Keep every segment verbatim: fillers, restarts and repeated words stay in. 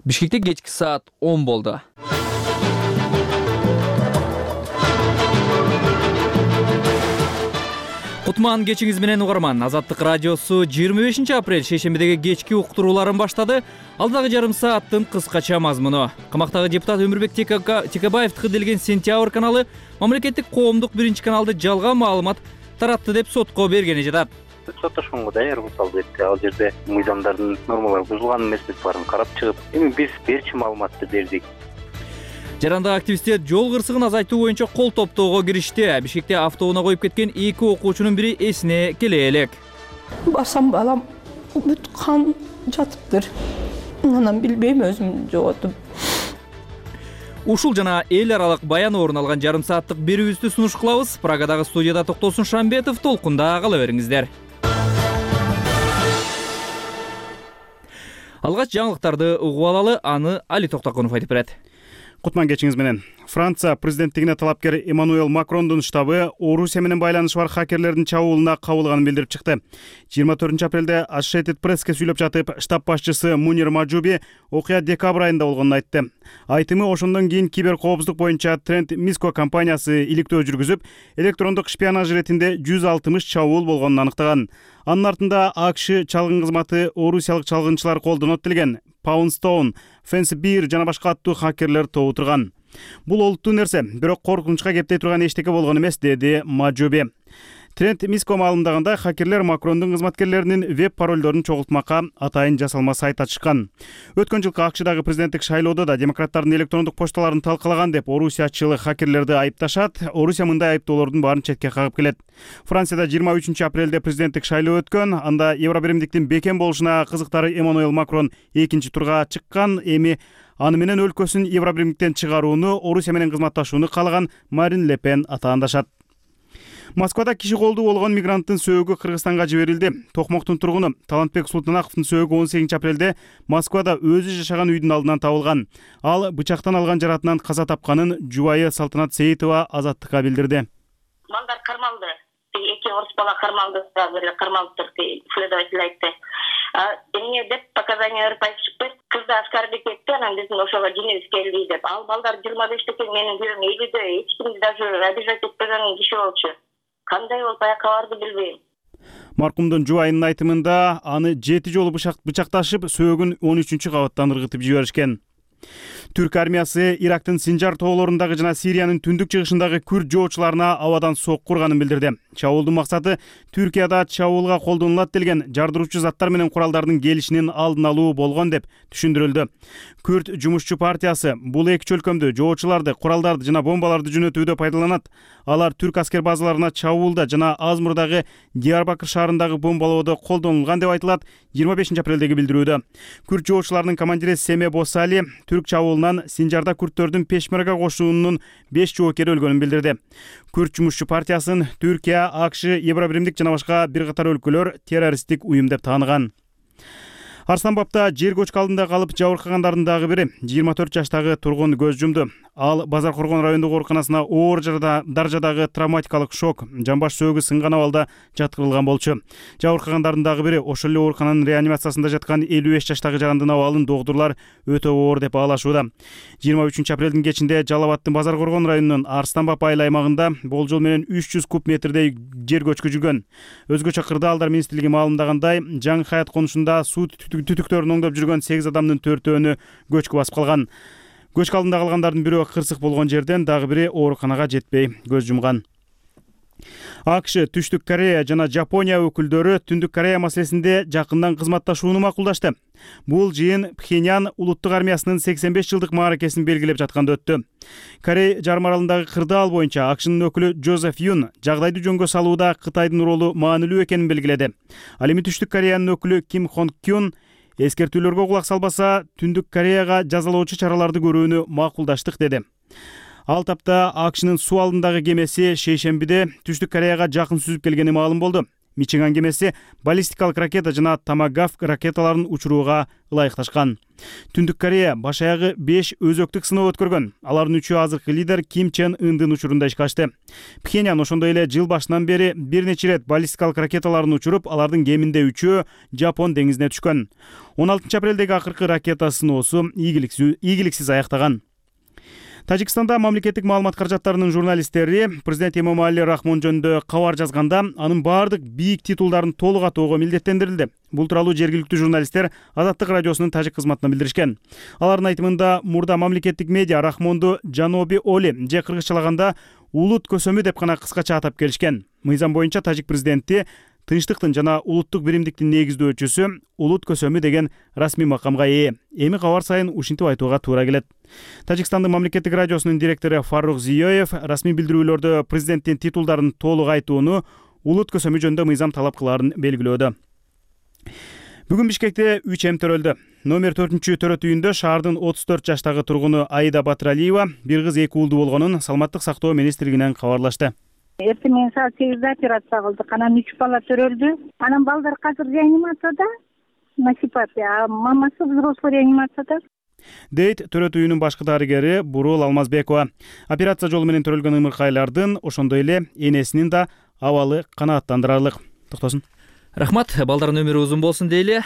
Бишкекте кечки саат он болду. Кутман кечиңиз менен угарман. Азаттык радиосу жыйырма бешинчи апрель шейшембидеги кечки уктурууларын баштады. Алдагы жарым сааттын кыскача мазмуну. Камактагы депутат Өмүрбек Текебаев тыгыделген Сентябрь каналы мамлекеттик коомдук биринчи каналды жалган маалымат таратты деп сотко бергени жатат. Соттошконго даяр мисалы берди. Ал жерде мыйзамдардын нормалары бузулган эмеспи баарын карап чыгып, эми биз берчи маалыматты бердик. Жарандагы активисттер жол кырсыгын азайтуу боюнча кол топтоого киришти. Бишкекте автоунаа коюп кеткен эки окуучунун бири эсине келе элек. Басам балам бүт кан жатыптыр. Анан билбейм өзүм жоготуп. Ушул жана эл аралык баян орун алган жарым сааттык берүүбүздү сунуш кылабыз. Прагадагы студияда Токтосун Шамбетов, толкунда кала бериңиздер. Алгач жаңылыктарды угуп алалы, аны Али Токтокунов айтып берет. Кутман кечиңиз менен. Франция президенттигине талапкер Эммануэл Макрондун штабы Орусия менен байланышы бар хакерлердин чабуулуна кабылганын билдирип чыкты. жыйырма төртүнчү апрелде Associated Press'ке сүйлөп жатып, штаб башчысы Мунир Маджуби окуя декабрь айында болгонун айтты. Айтымы ошондон кийин киберкоопсуздук боюнча Trend Micro компаниясы иликтөө жүргүзүп, электрондук шпионаж иретинде жүз алтымыш чабуул болгонун аныктаган. Анын артында АКШ чалгын кызматы орусиялык чалгынчылар колдонот делген Poundstone, Fencebear жана башка аттуу хакерлер тобу турган. Бул олуттуу нерсе, бирок коркунучка кептей турган эчтеке болгон эмес, деди Маджуби. Trend Micro маалымдаганда хакерлер Макрондун кызматкерлеринин веб паролдорун чогултмакка атайын жасалма сайт ачышкан. Өткөн жылкы АКШдагы президенттик шайлоодо да демократтардын электрондук почталарын талкалаган деп орусиячыл хакерлерди айыпташат. Орусия мындай айыптоолордун баарын четке кагып келет. Францияда жыйырма үчүнчү апрелде президенттик шайлоо өткөн. Анда Евробиримдиктин бекем болушуна кызыктары Эммануэл Макрон экинчи турга чыккан. Эми аны менен өлкөсүн Евробиримдиктен чыгарууну, Орусия менен кызматташууну каалаган Марин Ле Пен атаандашат. Москвада киши колдуу болгон мигранттын сөөгү Кыргызстанга жиберилди. Токмоктун тургуну Талантбек Султанаковдун сөөгү он сегизинчи апрелде Москвада өзү жашаган үйдүн алдынан табылган. Ал бычактан алган жаратынан каза тапканын жубайы Салтанат Сейитова Азаттыкка билдирди. Балдар кармалды. Эки орус бала кармалды, кармалып турду, следователь айтты. Эмне деп показания ырпайып чыкты. Кызды аскарбек этти, анан биздин ошого жинибиз келди деп. Ал балдар жыйырма бештеки менин күнүм элүүдө эч кимди даже обижать этпеген киши болчу. Кандай болуп аяка барды билбейм. Маркумдун жубайынын айтымында аны жети жолу бычакташып, сөөгүн он үчүнчү кабаттан ыргытып жиберишкен. Түрк армиясы Ирактын Синжар тоолорундагы жана Сириянын түндүк чыгышындагы күрд жоочуларына абадан сокку урганын билдирди. Чабуулдун максаты Түркияда чабуулга колдонулат делген жардыруучу заттар менен куралдардын келишинин алдын алуу болгон деп түшүндүрүлдү. Күрд жумушчу партиясы бул эки чөлкөмдү жоочуларды, куралдарды жана бомбаларды жөнөтүүдө пайдаланат. Алар түрк аскер базаларына чабуулда жана Азмурдагы Диярбакыр шаарындагы бомбалоодо колдонулган деп айтылат жыйырма бешинчи апрелдеги билдирүүдө. Күрд жоочуларынын командири Семе Босали түрк чабуулунан Синжарда күрттөрдүн пешмерга кошуунун беш жоокери өлгөнүн билдирди. Күрд жумушчу партиясын Түркия, АКШ, Евробиримдик жана башка бир катар өлкөлөр террористтик уюм деп тааныган. Арсланбапта жер көчкү алдында калып жабыркагандардын дагы бири жыйырма төрт жаштагы тургун көз жумду. Ал Базар Коргон райондук ооруканасына оор даражадагы травматикалык шок, жамбаш сөөгү сынган абалда жаткырылган болчу. Жабыркагандардын дагы бири ошол эле оорукананын реанимациясында жаткан элүү беш жаштагы жарандын абалын доктурлар өтө оор деп баалашууда. жыйырма үчүнчү апрелдин кечинде Жалал Абадтын Базар Коргон районунун Арсланбап айыл аймагында болжол менен үч жүз куб метрдей жер көчкү жүргөн. Өзгөчө кырдаалдар министрлиги маалымдагандай, Жаңы Хаят конушунда суу түтүктөрүн оңдоп жүргөн сегиз адамдын төртөөнү көчкү басып калган. Көчкү алдында калгандардын бирөө кырсык болгон жерден, дагы бири ооруканага жетпей көз жумган. АКШ, Түштүк Корея жана Жапония өкүлдөрү Түндүк Корея маселесинде жакындан кызматташууну макулдашты. Бул жыйын Пхеньян улуттук армиясынын сексен беш жылдык мааракесин белгилеп жатканда өттү. Корей жарым аралындагы кырдаал боюнча АКШнын өкүлү Джозеф Юн жагдайды жөнгө салууда Кытайдын ролу маанилүү экенин белгиледи. Ал эми Түштүк Кореянын өкүлү Ким Хонг Кюн эскертүүлөргө кулак салбаса, Түндүк Кореяга жазалоочу чараларды көрүүнү макулдаштык деди. Ал тапта АКШнын суу алдындагы кемеси шейшембиде Түштүк Кореяга жакын сүзүп келгени маалым болду. Мичиган кемеси баллистикалык ракета жана томагавк ракеталарын учурууга ылайыкташкан. Түндүк Корея баш аягы беш өзөктүк сыноо өткөргөн. Алардын үчөө азыркы лидер Ким Чен Ындын учурунда ишке ашты. Пхеньян ошондой эле жыл башынан бери бир нече ирет баллистикалык ракеталарын учуруп, алардын кеминде үчөө Жапон деңизине түшкөн. он алтынчы апрелдеги акыркы ракета сыноосу ийгиликсиз аяктаган. Тажикстанда мамлекеттик маалымат каражаттарынын журналисттери президент Эмомали Рахмон жөнүндө кабар жазганда анын баардык бийик титулдарын толук атоого милдеттендирилди. Бул тууралуу жергиликтүү журналисттер Азаттык радиосунун тажик кызматына билдиришкен. Алардын айтымында мурда мамлекеттик медиа Рахмонду Жаноби Оли же кыргызчалаганда улут көсөмү деп гана кыскача атап келишкен. Мыйзам боюнча тажик президенти тынчтыктын жана улуттук биримдиктин негиздөөчүсү, улут көсөмү деген расмий макамга ээ. Эми кабар сайын ушинтип айтууга туура келет. Тажикстандын мамлекеттик радиосунун директору Фарух Зиёев расмий билдирүүлөрдө президенттин титулдарын толук айтууну улут көсөмү жөнүндө мыйзам талап кылаарын белгилөөдө. Бүгүн Бишкекте үч эм төрөлдү. Номер төртүнчү төрөт үйүндө шаардын отуз төрт жаштагы тургуну Аида Батыралиева бир кыз эки уулду болгонун Саламаттык сактоо министрлигинен кабарлашты. Эртең менен саат сегизде операция кылдык. Анан үч бала төрөлдү. Анан балдар азыр реанимацияда. Насипат, а мамасы взрослый реанимацияда. Дейт төрөт үйүнүн башкы дарыгери Бурул Алмазбекова. Операция жолу менен төрөлгөн ымыркайлардын, ошондой эле энесинин да абалы канааттандырарлык. Токтосун. Рахмат, балдардын өмүрү узун болсун дейли.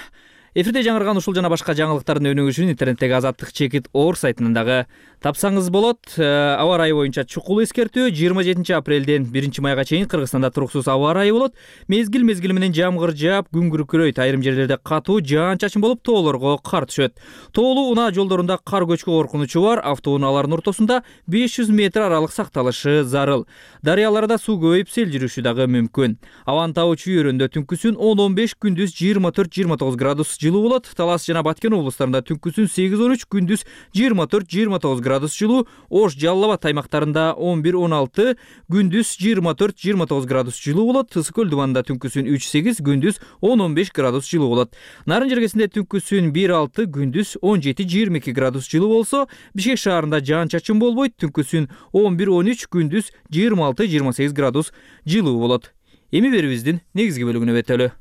Эфирде жаңырган ушул жана башка жаңылыктардын өнүгүшүн интернеттеги Азаттык чекит оор сайтынан дагы тапсаңыз болот. Аба ырайы боюнча чукул эскертүү жыйырма жетинчи апрелден биринчи майга чейин Кыргызстанда туруксуз аба ырайы болот. Мезгил мезгили менен жамгыр жаап, күн күркүрөйт. Айрым жерлерде катуу жаан-чачын болуп, тоолорго кар түшөт. Тоолуу унаа жолдорунда кар көчкү коркунучу бар. Автоунаалардын ортосунда беш жүз метр аралык сакталышы зарыл. Дарыяларда суу көбөйүп, сел жүрүшү дагы мүмкүн. Абанын табуу чүйөрүндө түнкүсүн он он беш, күндүз жыйырма төрт жыйырма тогуз градус жылуу болот. Талас жана Баткен облустарында түнкүсүн сегиз он үч, күндүз жыйырма төрт жыйырма тогуз градус жылуу. Ош, Жалал Абад аймактарында он бир он алты, күндүз жыйырма төрт жыйырма тогуз градус жылуу болот. Ысык көл дубанында түнкүсүн үч сегиз, күндүз он он беш градус жылуу болот. Нарын жергесинде түнкүсүн бир алты, күндүз он жети жыйырма эки градус жылуу болсо, Бишкек шаарында жаан-чачын болбойт. Түнкүсүн он бир он үч, күндүз жыйырма алты жыйырма сегиз градус жылуу болот. Эми берүүбүздүн негизги бөлүгүнө өтөлү.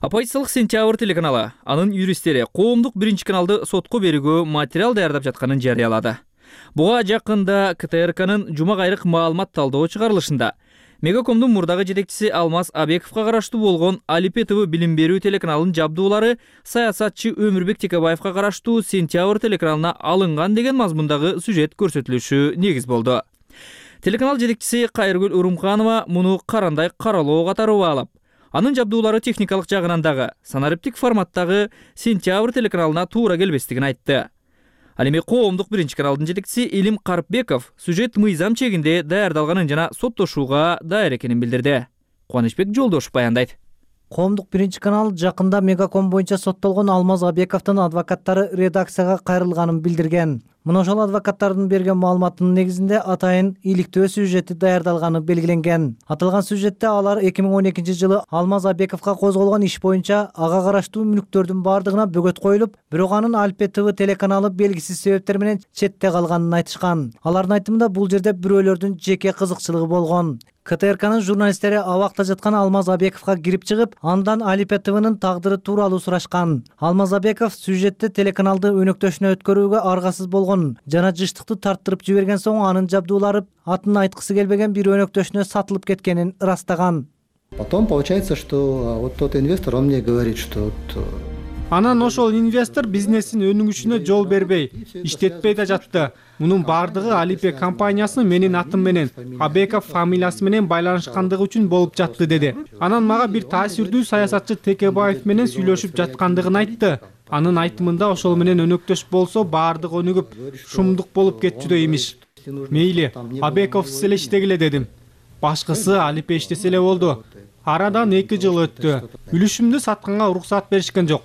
Оппозициялык Сентябрь телеканалы анын юристтери коомдук биринчи каналды сотко берүүгө материал даярдап жатканын жарыялады. Буга жакында КТРКнын жума кайрык маалымат талдоо чыгарылышында Мегакомдун мурдагы жетекчиси Алмаз Абековго караштуу болгон Алипе ТВ билим берүү телеканалынын жабдуулары саясатчы Өмүрбек Текебаевга караштуу Сентябрь телеканалына алынган деген мазмундагы сюжет көрсөтүлүшү негиз болду. Телеканал жетекчиси Кайыргүл Урумханова муну карандай каралоо катары баалап, анын жабдуулары техникалык жагынан дагы санариптик форматтагы Сентябрь телеканалына туура келбестигин айтты. Ал эми коомдук биринчи каналдын жетекчиси Илим Карпбеков сюжет мыйзам чегинде даярдалганын жана соттошууга даяр экенин билдирди. Кубанычбек Жолдошов баяндайт. Коомдук биринчи канал жакында Мегаком боюнча соттолгон Алмаз Абековдун адвокаттары редакцияга кайрылганын билдирген. Мына ошол адвокаттардын берген маалыматынын негизинде атайын иликтөө сюжети даярдалганы белгиленген. Аталган сюжетте алар эки миң он экинчи жылы Алмаз Абековго козголгон иш боюнча ага караштуу мүлктөрдүн бардыгына бөгөт коюлуп, бирок анын Алипе ТВ телеканалы белгисиз себептер менен четте калганын айтышкан. Алардын айтымында бул жерде бирөөлөрдүн жеке кызыкчылыгы болгон. КТРКнын журналисттери абакта жаткан Алмаз Абековго кирип чыгып, андан Алипе ТВнын тагдыры тууралуу сурашкан. Алмаз Абеков сюжетте телеканалды өнөктөшүнө өткөрүүгө аргасыз болгон жана жыштыкты тарттырып жиберген соң анын жабдуулары атын айткысы келбеген бир өнөктөшүнө сатылып кеткенин ырастаган. Потом получается, что вот тот инвестор, он мне говорит, что вот... Анан ошол инвестор бизнестин өнүгүшүнө жол бербей, иштетпей да жатты. Мунун бардыгы Алипе компаниясынын менин атым менен, Абеков фамилиясы менен байланышкандыгы үчүн болуп жатты деди. Анан мага бир таасирдүү саясатчы Текебаев менен сүйлөшүп жаткандыгын айтты. Анын айтымында ошол менен өнөктөш болсо бардыгы өнүгүп, шумдук болуп кетчүдөй имиш. Мейли, Абеков сиз эле иштегиле дедим. Башкысы Алипе иштесе эле болду. Арадан эки жыл өттү. Үлүшүмдү сатканга уруксат беришкен жок.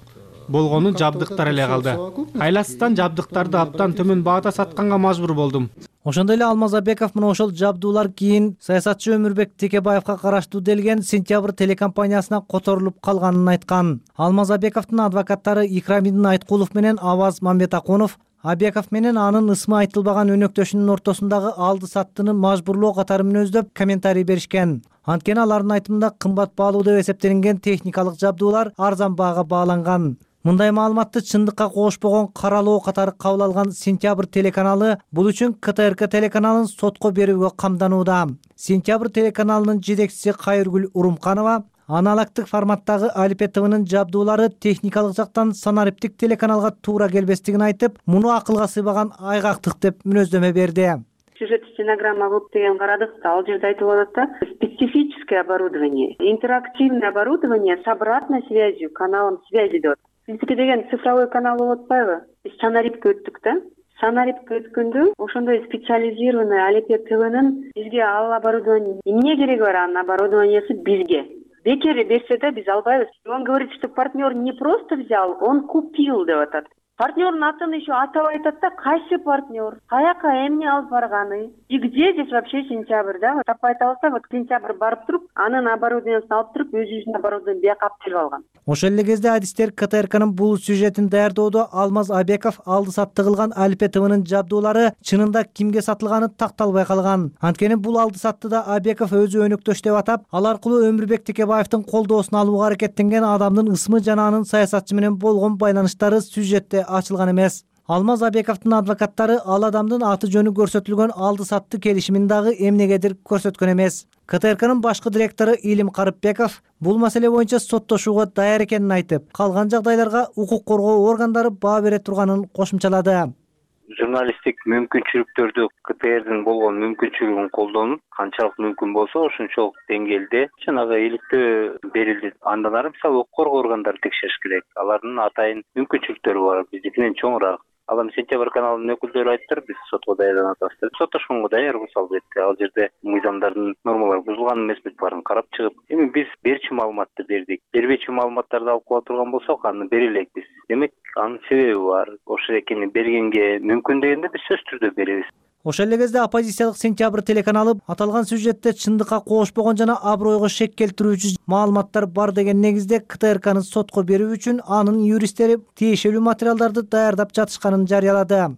болгону жабдыктар эле калды. Айласыздан жабдыктарды абдан төмөн баада сатканга мажбур болдум. Ошондой эле Алмазбеков мына ошол жабдуулар кийин саясатчы Өмүрбек Текебаевка караштуу делген Сентябрь телекомпаниясына которулуп калганын айткан. Алмазбековдун адвокаттары Икрамидин Айткулов менен Аваз Мамбетакунов Абеков менен анын ысмы айтылбаган өнөктөшүнүн ортосундагы алды саттыны мажбурлоо катары мүнөздөп комментарий беришкен. Анткени алардын айтымында кымбат баалуу деп эсептелинген техникалык жабдуулар арзан баага бааланган. Мындай маалыматты чындыкка кошпогон каралоо катары кабыл алган Сентябрь телеканалы бул үчүн КТРК телеканалын сотко берүүгө камданууда. Сентябрь телеканалынын жетекчиси Кайыргүл Урумканова аналогдук форматтагы Алипе ТВнын жабдуулары техникалык жактан санариптик телеканалга туура келбестигин айтып, муну акылга сыйбаган айгактык деп мүнөздөмө берди. Сюжет стенограмма кылып деген карадык да, ал жерде айтылып атат да, специфическое оборудование, интерактивное оборудование с обратной связью, каналом связи деп. Биздики деген цифровой канал болуп атпайбы? Биз санарипке өттүк да. Санарипке өткөндө ошондой специализированный Алипе ТВнын бизге ал оборудование эмне кереги бар, анын оборудованиясы бизге. Бекер берсе да биз албайбыз. Он говорит, что партнер не просто взял, он купил деп атат. Партнердун атын еще атап айтат да, кайсы партнер, каяка эмне алып барганы, и где здесь вообще Сентябрь, да? Таппай атабызда, вот Сентябрь барып туруп, анын оборудованиясын алып туруп, өзүнүн оборудованиясын бияка алып алган. Ошол эле кезде адистер КТРКнын бул сюжетин даярдоодо Алмаз Абеков алды сатты кылган Алипе ТВнын жабдуулары чынында кимге сатылганы такталбай калган. Анткени бул алды саттыда Абеков өзү өнөктөш деп атап, ал аркылуу Өмүрбек Текебаевдин колдоосун алууга аракеттенген адамдын ысмы жана анын саясатчы менен болгон байланыштары сюжетте ачылган эмес. Алмаз Абековдун адвокаттары ал адамдын аты жөнү көрсөтүлгөн алды сатты келишимин дагы эмнегедир көрсөткөн эмес. КТРКнын башкы директору Илим Карыпбеков бул маселе боюнча соттошууга даяр экенин айтып, калган жагдайларга укук коргоо органдары баа бере турганын кошумчалады. Журналисттик мүмкүнчүлүктөрдү КТРдин болгон мүмкүнчүлүгүн колдонуп, канчалык мүмкүн болсо ошончолук деңгээлде жанагы иликтөө берилди. Андан ары мисалы укук коргоо органдары текшериш керек. Алардын атайын мүмкүнчүлүктөрү бар, биздикинен чоңураак. Ал эми Сентябрь каналынын өкүлдөрү айтыптыр, биз сотко даярданып атабыз. Соттошконго даяр мисалы бетте ал жерде мыйзамдардын нормалары бузулган эмеспи баарын карап чыгып, эми биз берчү маалыматты бердик. Бербечү маалыматтарды алып кала турган болсок, аны бере элекпиз. Демек, анын себеби бар. Ошол экени бергенге мүмкүн дегенде биз сөзсүз түрдө беребиз. Ошол эле кезде оппозициялык Сентябрь телеканалы аталган сюжетте чындыкка кошпогон жана абройго шек келтирүүчү маалыматтар бар деген негизде КТРКны сотко берүү үчүн анын юристтери тиешелүү материалдарды даярдап жатышканын жарыялады.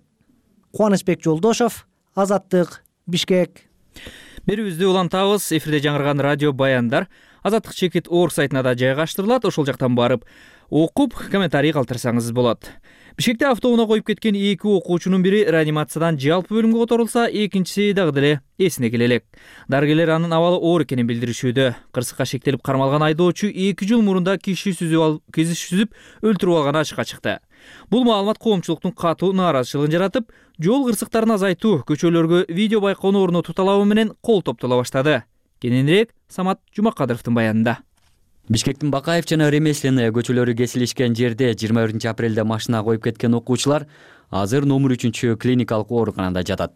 Кубанычбек Жолдошов, Азаттык, Бишкек. Берүүбүздү улантабыз. Эфирде жаңырган радио баяндар Азаттык чекит орг сайтына да жайгаштырылат. Ошол жактан барып окуп, комментарий калтырсаңыз болот. Бишкекте автоунаа коюп кеткен эки окуучунун бири реанимациядан жалпы бөлүмгө которулса, экинчиси дагы деле эсине келе элек. Дарыгерлер анын абалы оор экенин билдиришүүдө. Кырсыкка шектелип кармалган айдоочу эки жыл мурунда киши сүзүп алып, кизи сүзүп өлтүрүп алганы ачыкка чыкты. Бул маалымат коомчулуктун катуу нааразычылыгын жаратып, жол кырсыктарын азайтуу, көчөлөргө видео байкоону орнотуу талабы менен кол топтола баштады. Кененирээк Самат Жумакадыровдун баянында. Бишкектин Бакаев жана Ремесленная көчөлөрү кесилишкен жерде жыйырма биринчи апрелде машина коюп кеткен окуучулар азыр номер үчүнчү клиникалык ооруканада жатат.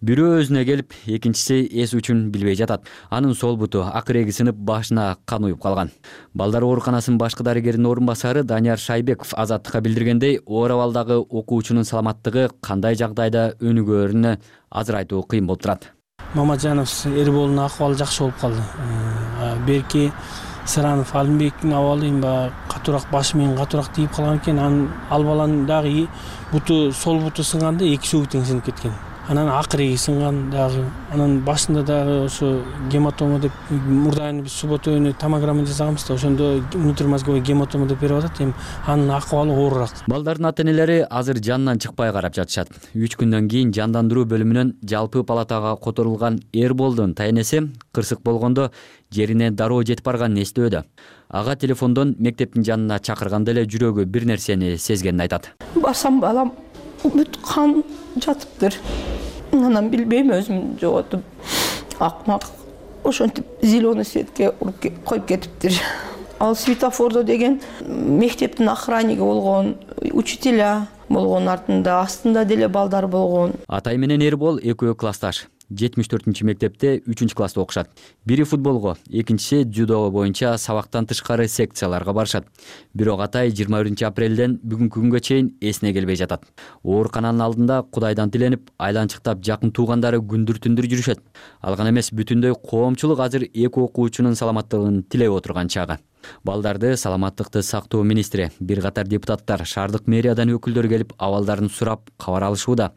Бирөө өзүнө келип, экинчиси эс үчүн билбей жатат. Анын сол буту акыреги сынып, башына кан уюп калган. Балдар ооруканасынын башкы дарыгеринин орун басары Данияр Шайбеков Азаттыкка билдиргендей, оор абалдагы окуучунун саламаттыгы кандай жагдайда өнүгөөрүнө азыр айтуу кыйын болуп турат. Мамаджанов Эрболдун акыбалы жакшы болуп калды. Берки Саранов Алимбектин абалы эми катуураак башы менен катуураак тийип калган экен. Анын ал баланын дагы буту сол буту сынганда эки сөгү тең сынып кеткен. Анан акыреги сынган дагы. Анан башында дагы ошо гематома деп мурдайын биз суббота күнү томограмма жасаганбыз да, ошондо внутримозговой гематома деп берип атат. Эми анын акыбалы оорураак. Балдардын ата-энелери азыр жанынан чыкпай карап жатышат. үч күндөн кийин жандандыруу бөлүмүнөн жалпы палатага которулган Эрболдун тайнеси кырсык болгондо жерине дароо жетип барганын эстөөдө. Ага телефондон мектептин жанына чакырганда эле жүрөгү бир нерсени сезгенин айтат. Басам балам бүт кан жатыптыр. Анан билбейм, өзүм жоготуп, акмак ошентип зеленый светке коюп кетиптир. Ал светофордо деген мектептин охранниги болгон, учителя болгон, артында астында деле балдар болгон. Атай менен Эрбол экөө классташ. жетимиш төртүнчү мектепте үчүнчү класста окушат. Бири футболго, экинчиси дзюдо боюнча сабактан тышкары секцияларга барышат. Бирок атай жыйырма биринчи апрелден бүгүнкү күнгө чейин эсине келбей жатат. Оорукананын алдында Кудайдан тиленип, айланчыктап жакын туугандары күндүр-түндүр жүрүшөт. Ал гана эмес, бүтүндөй коомчулук азыр эки окуучунун саламаттыгын тилеп отурган чагы. Балдарды саламаттыкты сактоо министри, бир катар депутаттар, шаардык мэриядан өкүлдөр келип абалдарын сурап, кабар алышууда.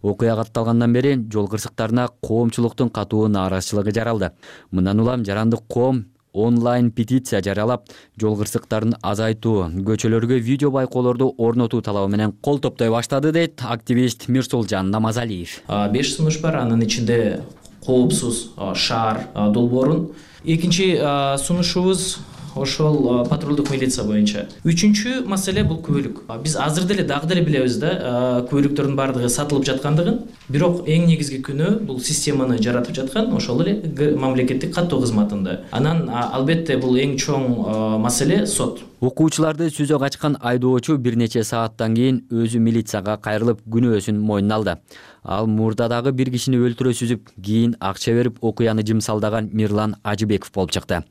Окуя катталгандан бери жол кырсыктарына коомчулуктун катуу нааразычылыгы жаралды. Мындан улам жарандык коом онлайн петиция жарыялап, жол кырсыктарын азайтуу, көчөлөргө видео байкоолорду орнотуу талабы менен кол топтой баштады, дейт активист Мирсулжан Намазалиев. беш сунуш бар, анын ичинде коопсуз шаар долбоорун. Экинчи сунушубуз ошол патрулдук милиция боюнча. Үчүнчү маселе бул күбөлүк. Биз азыр деле дагы деле билебиз да, күбөлүктөрдүн баардыгы сатылып жаткандыгын. Бирок эң негизги күнөө бул системаны жаратып жаткан ошол эле мамлекеттик каттоо кызматында. Анан албетте бул эң чоң маселе сот. Окуучуларды сүзөк ачкан айдоочу бир нече сааттан кийин өзү милицияга кайрылып күнөөсүн мойнуна алды. Ал мурдадагы бир кишини өлтүрө сүзүп, кийин акча берип окуяны жымсалдаган Мирлан Ажыбеков болуп чыкты.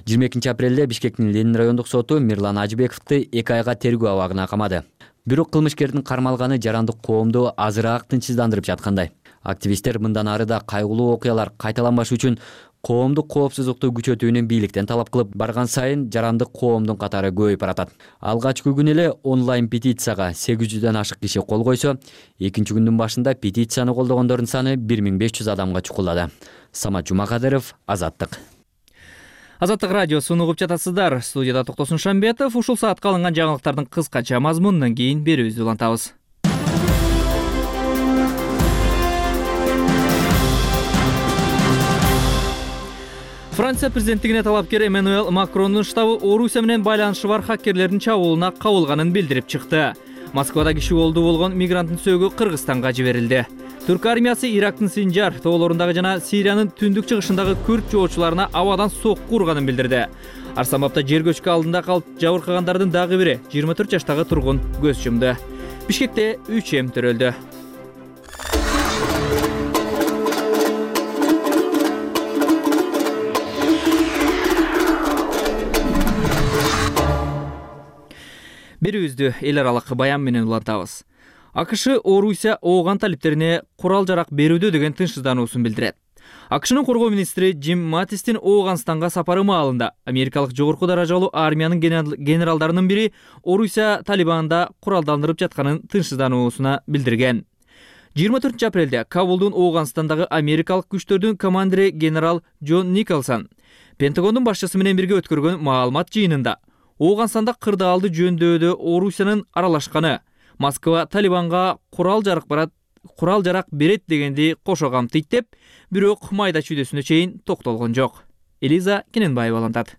жыйырма экинчи апрелде Бишкектин Ленин райондук соту Мирлан Ажыбековду эки айга тергөө абагына камады. Бирок кылмышкердин кармалганы жарандык коомду азыраак тынчсыздандырып жаткандай. Активисттер мындан ары да кайгылуу окуялар кайталанбаш үчүн коомдук коопсуздукту күчөтүүнү бийликтен талап кылып барган сайын жарандык коомдун катары көбөйүп баратат. Алгачкы күнү эле онлайн петицияга сегиз жүздөн ашык киши кол койсо, экинчи күндүн башында петицияны колдогондордун саны бир миң беш жүз адамга чукулдады. Самат Жумакадыров, Азаттык. Азаттык радиосун угуп жатасыздар. Студияда Токтосун Шамбетов. Ушул саатка алынган жаңылыктардын кыскача мазмунунан кийин берүүбүздү улантабыз. Франция президенттигине талапкер Эммануэль Макрондун штабы Орусия менен байланышы бар хаккерлердин чабуулуна кабылганын билдирип чыкты. Москвада киши колдуу болгон мигранттын сөөгү Кыргызстанга жиберилди. Түрк армиясы Ирактын Синжар тоолорундагы жана Сириянын түндүк чыгышындагы күрд жоочуларына абадан сокку урганын билдирди. Арсамапта жер көчкү алдында калып жабыркагандардын дагы бири жыйырма төрт жаштагы тургун көз жумду. Бишкекте үч эм төрөлдү. Берүүбүздү эл аралык баян менен улантабыз. АКШ Орусия ооган талиптерине курал-жарак берүүдө деген тынчсыздануусун билдирет. АКШнын коргоо министри Джим Матистин Ооганстанга сапары маалында америкалык жогорку даражалуу армиянын генералдарынын бири Орусия Талибанда куралдандырып жатканын тынчсыздануусуна билдирген. жыйырма төртүнчү апрелде Кабулдун Ооганстандагы америкалык күчтөрдүн командири генерал Джон Николсон Пентагондун башчысы менен бирге өткөргөн маалымат жыйынында Ооганстанда кырдаалды жөндөдө Орусиянын аралашканы, Москва Талибанга курал-жарак барат, курал-жарак берет дегенди кошо камтыйт деп, бирок майда чүйдөсүнө чейин токтолгон жок. Элиза Кененбаева улантат.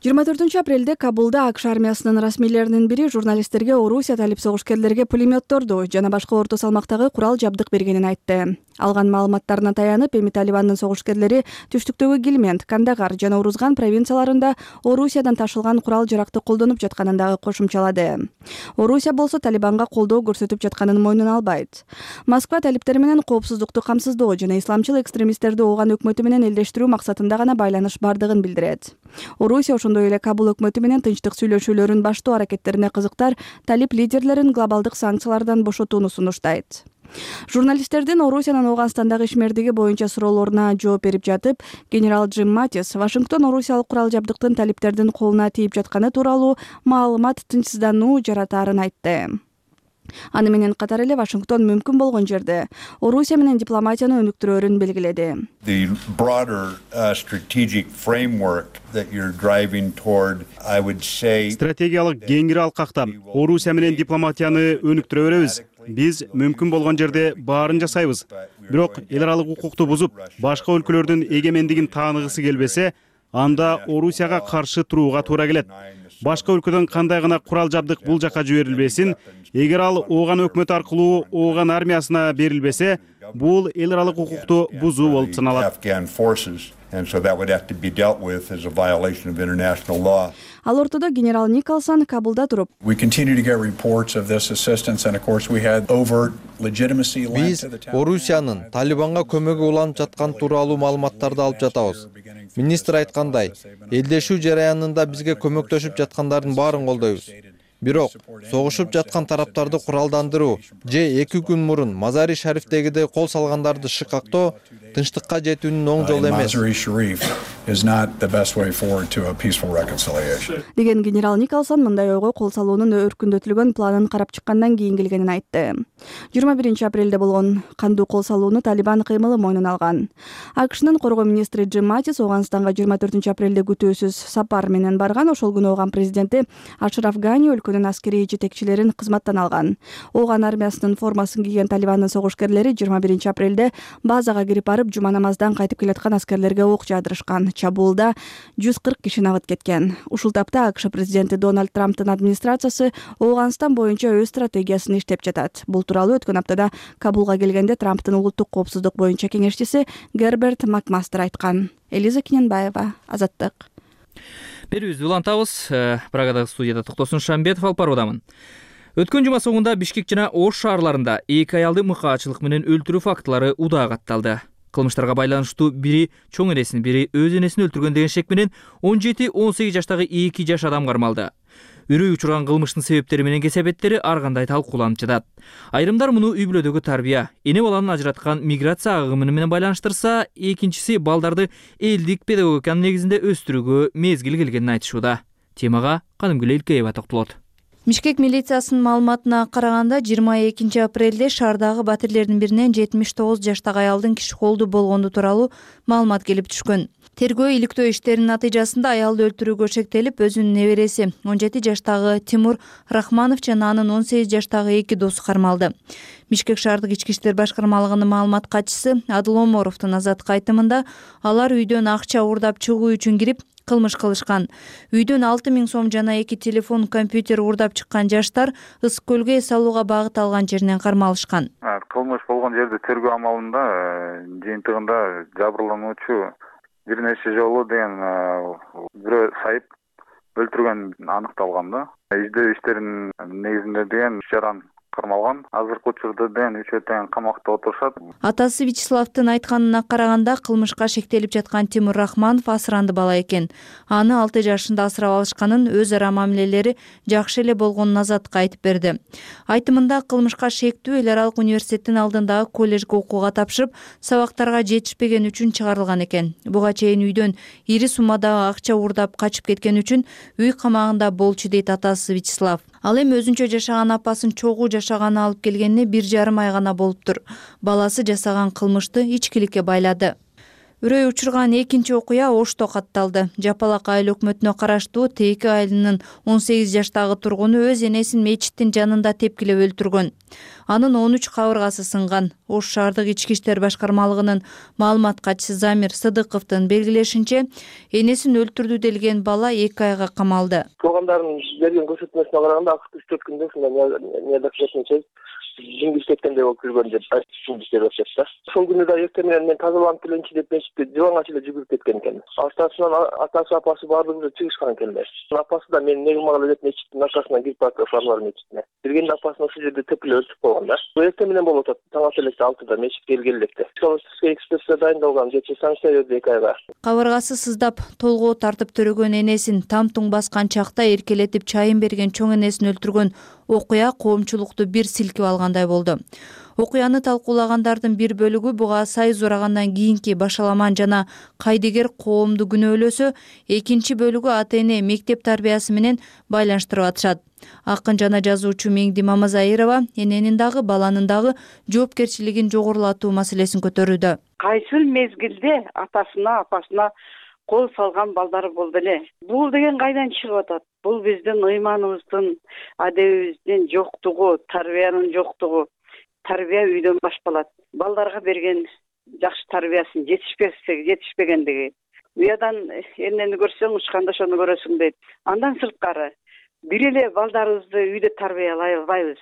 жыйырма төртүнчү апрелде Кабулда АКШ армиясынын расмийлеринин бири журналисттерге Орусия талип согушкерлерге пулеметторду жана башка орто салмактагы курал жабдык бергенин айтты. Алган маалыматтарына таянып, эми Талибандын согушкерлери түштүктөгү Гилмент, Кандагар жана Урузган провинцияларында Орусиядан ташылган курал-жаракты колдонуп жатканын дагы кошумчалады. Орусия болсо Талибанга колдоо көрсөтүп жатканын мойнуна албайт. Москва талиптер менен коопсуздукту камсыздоо жана исламчыл экстремисттерди ооган өкмөтү менен элдештирүү максатында гана байланыш бардыгын билдирет. Орусия ошондой эле Кабул өкмөтү менен тынчтык сүйлөшүүлөрүн баштоо аракеттерине кызыктар, талип лидерлерин глобалдык санкциялардан бошотууну сунуштайт. Журналисттердин Орусиянын Ооганстандагы ишмердиги боюнча суроолоруна жооп берип жатып, генерал Джим Матис Вашингтон Орусиялык курал жабдыктын талиптердин колуна тийип жатканы тууралуу маалымат тынчсыздануу жаратаарын айтты. Аны менен катар эле Вашингтон мүмкүн болгон жерде Орусия менен дипломатияны өнүктүрөөрүн белгиледи. The broader uh, strategic framework that you're driving toward, I would say, стратегиялык кеңири алкакта Орусия менен дипломатияны өнүктүрө беребиз. Биз мүмкүн болгон жерде баарын жасайбыз. Бирок эл аралык укукту бузуп, башка өлкөлөрдүн эгемендигин тааныгысы келбесе, анда Орусияга каршы турууга туура келет. Башка өлкөдөн кандай гана курал жабдык бул жака жиберилбесин, эгер ал ооган өкмөт аркылуу ооган армиясына берилбесе, бул эл аралык укукту бузуу болуп саналат. And so that would have to be dealt with as a violation of international law. Ал ортодо генерал Николсон Кабулда туруп. We continue to get reports of this assistance, and of course we had overt Биз Орусиянын Талибанга көмөгү уланып жаткан тууралуу маалыматтарды алып жатабыз. Министр айткандай, элдешүү жараянында бизге көмөктөшүп жаткандардын баарын колдойбуз. Бирок согушуп жаткан тараптарды куралдандыруу же эки күн мурун Мазари Шарифтегидей кол салгандарды шыкактоо тынчтыкка жетүүнүн оң жолу эмес деген генерал Николсон мындай ойго кол салуунун өркүндөтүлгөн планын карап чыккандан кийин келгенин айтты. жыйырма биринчи апрелде болгон кандуу кол салууну Талибан кыймылы мойнуна алган. АКШнын коргоо министри Джим Матис Ооганстанга жыйырма төртүнчү апрелде күтүүсүз сапар менен барган. Ошол күнү Ооган президенти Ашраф Гани өлкөнүн аскерий жетекчилерин кызматтан алган. Ооган армиясынын формасын кийген Талибандын согушкерлери жыйырма биринчи апрелде базага кирип барып, жума намаздан кайтып келаткан аскерлерге ок жаадырышкан. Чабуулда жүз кырк киши набыт кеткен. Ушул тапта АКШ президенти Дональд Трамптын администрациясы Ооганстан боюнча өз стратегиясын иштеп жатат. Бул тууралуу өткөн аптада Кабулга келгенде Трамптын улуттук коопсуздук боюнча кеңешчиси Герберт Макмастер айткан. Элиза Кененбаева, Азаттык. Берүүбүздү улантабыз. Прагадагы студияда Токтосун Шамбетов алып баруудамын. Өткөн жума соңунда Бишкек жана Ош шаарларында эки аялды мыкаачылык менен өлтүрүү фактылары удаа катталды. Кылмыштарга байланыштуу бири чоң энесин, бири өз энесин өлтүргөн деген шек менен он жети он сегиз жаштагы эки жаш адам кармалды. Үрөй учурган кылмыштын себептери менен кесепеттери ар кандай талкууланып жатат. Айрымдар муну үй бүлөдөгү тарбия, эне баланы ажыраткан миграция агымы менен байланыштырса, экинчиси балдарды элдик педагогиканын негизинде өстүрүүгө мезгил келгенин айтышууда. Темага Канымгүл Элкеева токтолот. Бишкек милициясынын маалыматына караганда жыйырма экинчи апрелде шаардагы батирлердин биринен жетимиш тогуз жаштагы аялдын киши колду болгону тууралуу маалымат келип түшкөн. Тергөө иликтөө иштеринин натыйжасында аялды өлтүрүүгө шектелип, өзүнүн небереси он жети жаштагы Тимур Рахманов жана анын он сегиз жаштагы эки досу кармалды. Бишкек шаардык ички иштер башкармалыгынын маалымат катчысы Адыл Оморовдун азаттык айтымында алар үйдөн акча уурдап чыгуу үчүн кирип кылмыш кылышкан. Үйдөн алты миң сом жана эки телефон, компьютер уурдап чыккан жаштар Ысык көлгө эс алууга багыт алган жеринен кармалышкан. Кылмыш болгон жерде тергөө амалында жыйынтыгында жабырлануучу бир нече жолу деген бирөө сайып өлтүргөн аныкталган да. Издөө иштеринин негизинде деген жаран кармалган. Азыркы учурда деген үчөө тең камакта отурушат. Атасы Вячеславдын айтканына караганда кылмышка шектелип жаткан Тимур Рахманов асыранды бала экен. Аны алты жашында асырап алышканын, өз ара мамилелери жакшы эле болгонун азаттыкка айтып берди. Айтымында кылмышка шектүү эл аралык университеттин алдындагы коллежге окууга тапшырып, сабактарга жетишпеген үчүн чыгарылган экен. Буга чейин үйдөн ири суммадагы акча уурдап качып кеткен үчүн үй камагында болчу дейт атасы Вячеслав. Ал эми өзүнчө жашаган апасын чогуу жашаганы алып келгенине бир жарым ай гана болуптур. Баласы жасаган кылмышты ичкиликке байлады. Үрөй учурган экинчи окуя Ошто катталды. Жапалак айыл өкмөтүнө караштуу Тейки айылынын он сегиз жаштагы тургуну өз энесин мечиттин жанында тепкилеп өлтүргөн. Анын он үч кабыргасы сынган. Ош шаардык ички иштер башкармалыгынын маалымат катчысы Замир Сыдыковдун белгилешинче, энесин өлтүрдү делген бала эки айга камалды. Туугандардын берген көрсөтмөсүнө караганда үч төрт күндө ушундай неодоклетный жиңгиз кеткендей болуп жүргөн деп айтышып жатат. Ошол күнү да эртең менен мен тазаланып келенчи деп мечитте диванга чейин жүгүрүп кеткен экен. Артасынан атасы апасы баардыгы чыгышкан экенлер. Апасы да мен негим ала деп мечиттин аркасынан кирип барып ошолар мечитине. Бергенде апасын ошол жерде тепкилеп өлтүрүп койгон да. Эртең менен болуп атат. Таң ата электе алтыда мечитке келген электе. Ошол экспертиза дайындалган жети санкция берди эки айга. Кабыргасы сыздап, толгоо тартып төрөгөн энесин там туң баскан чакта эркелетип чайын берген чоң энесин өлтүргөн окуя коомчулукту бир силкип алгандай болду. Окуяны талкуулагандардын бир бөлүгү буга сайыз урагандан кийинки башаламан жана кайдыгер коомду күнөөлөсө, экинчи бөлүгү ата-эне мектеп тарбиясы менен байланыштырып атышат. Акын жана жазуучу Меңди Мамазайырова эненин дагы баланын дагы жоопкерчилигин жогорулатуу маселесин көтөрүүдө. Кайсыл мезгилде атасына, апасына кол салган балдары болду эле. Бул деген кайдан чыгып атат? Бул биздин ыйманыбыздын, адебибиздин жоктугу, тарбиянын жоктугу. Тарбия үйдөн башталат. Балдарга берген жакшы тарбиясын жетишпесе, жетишпегендиги. Уядан эмнени көрсөң, учканда ошону көрөсүң дейт. Андан сырткары бир эле балдарыбызды үйдө тарбиялай албайбыз.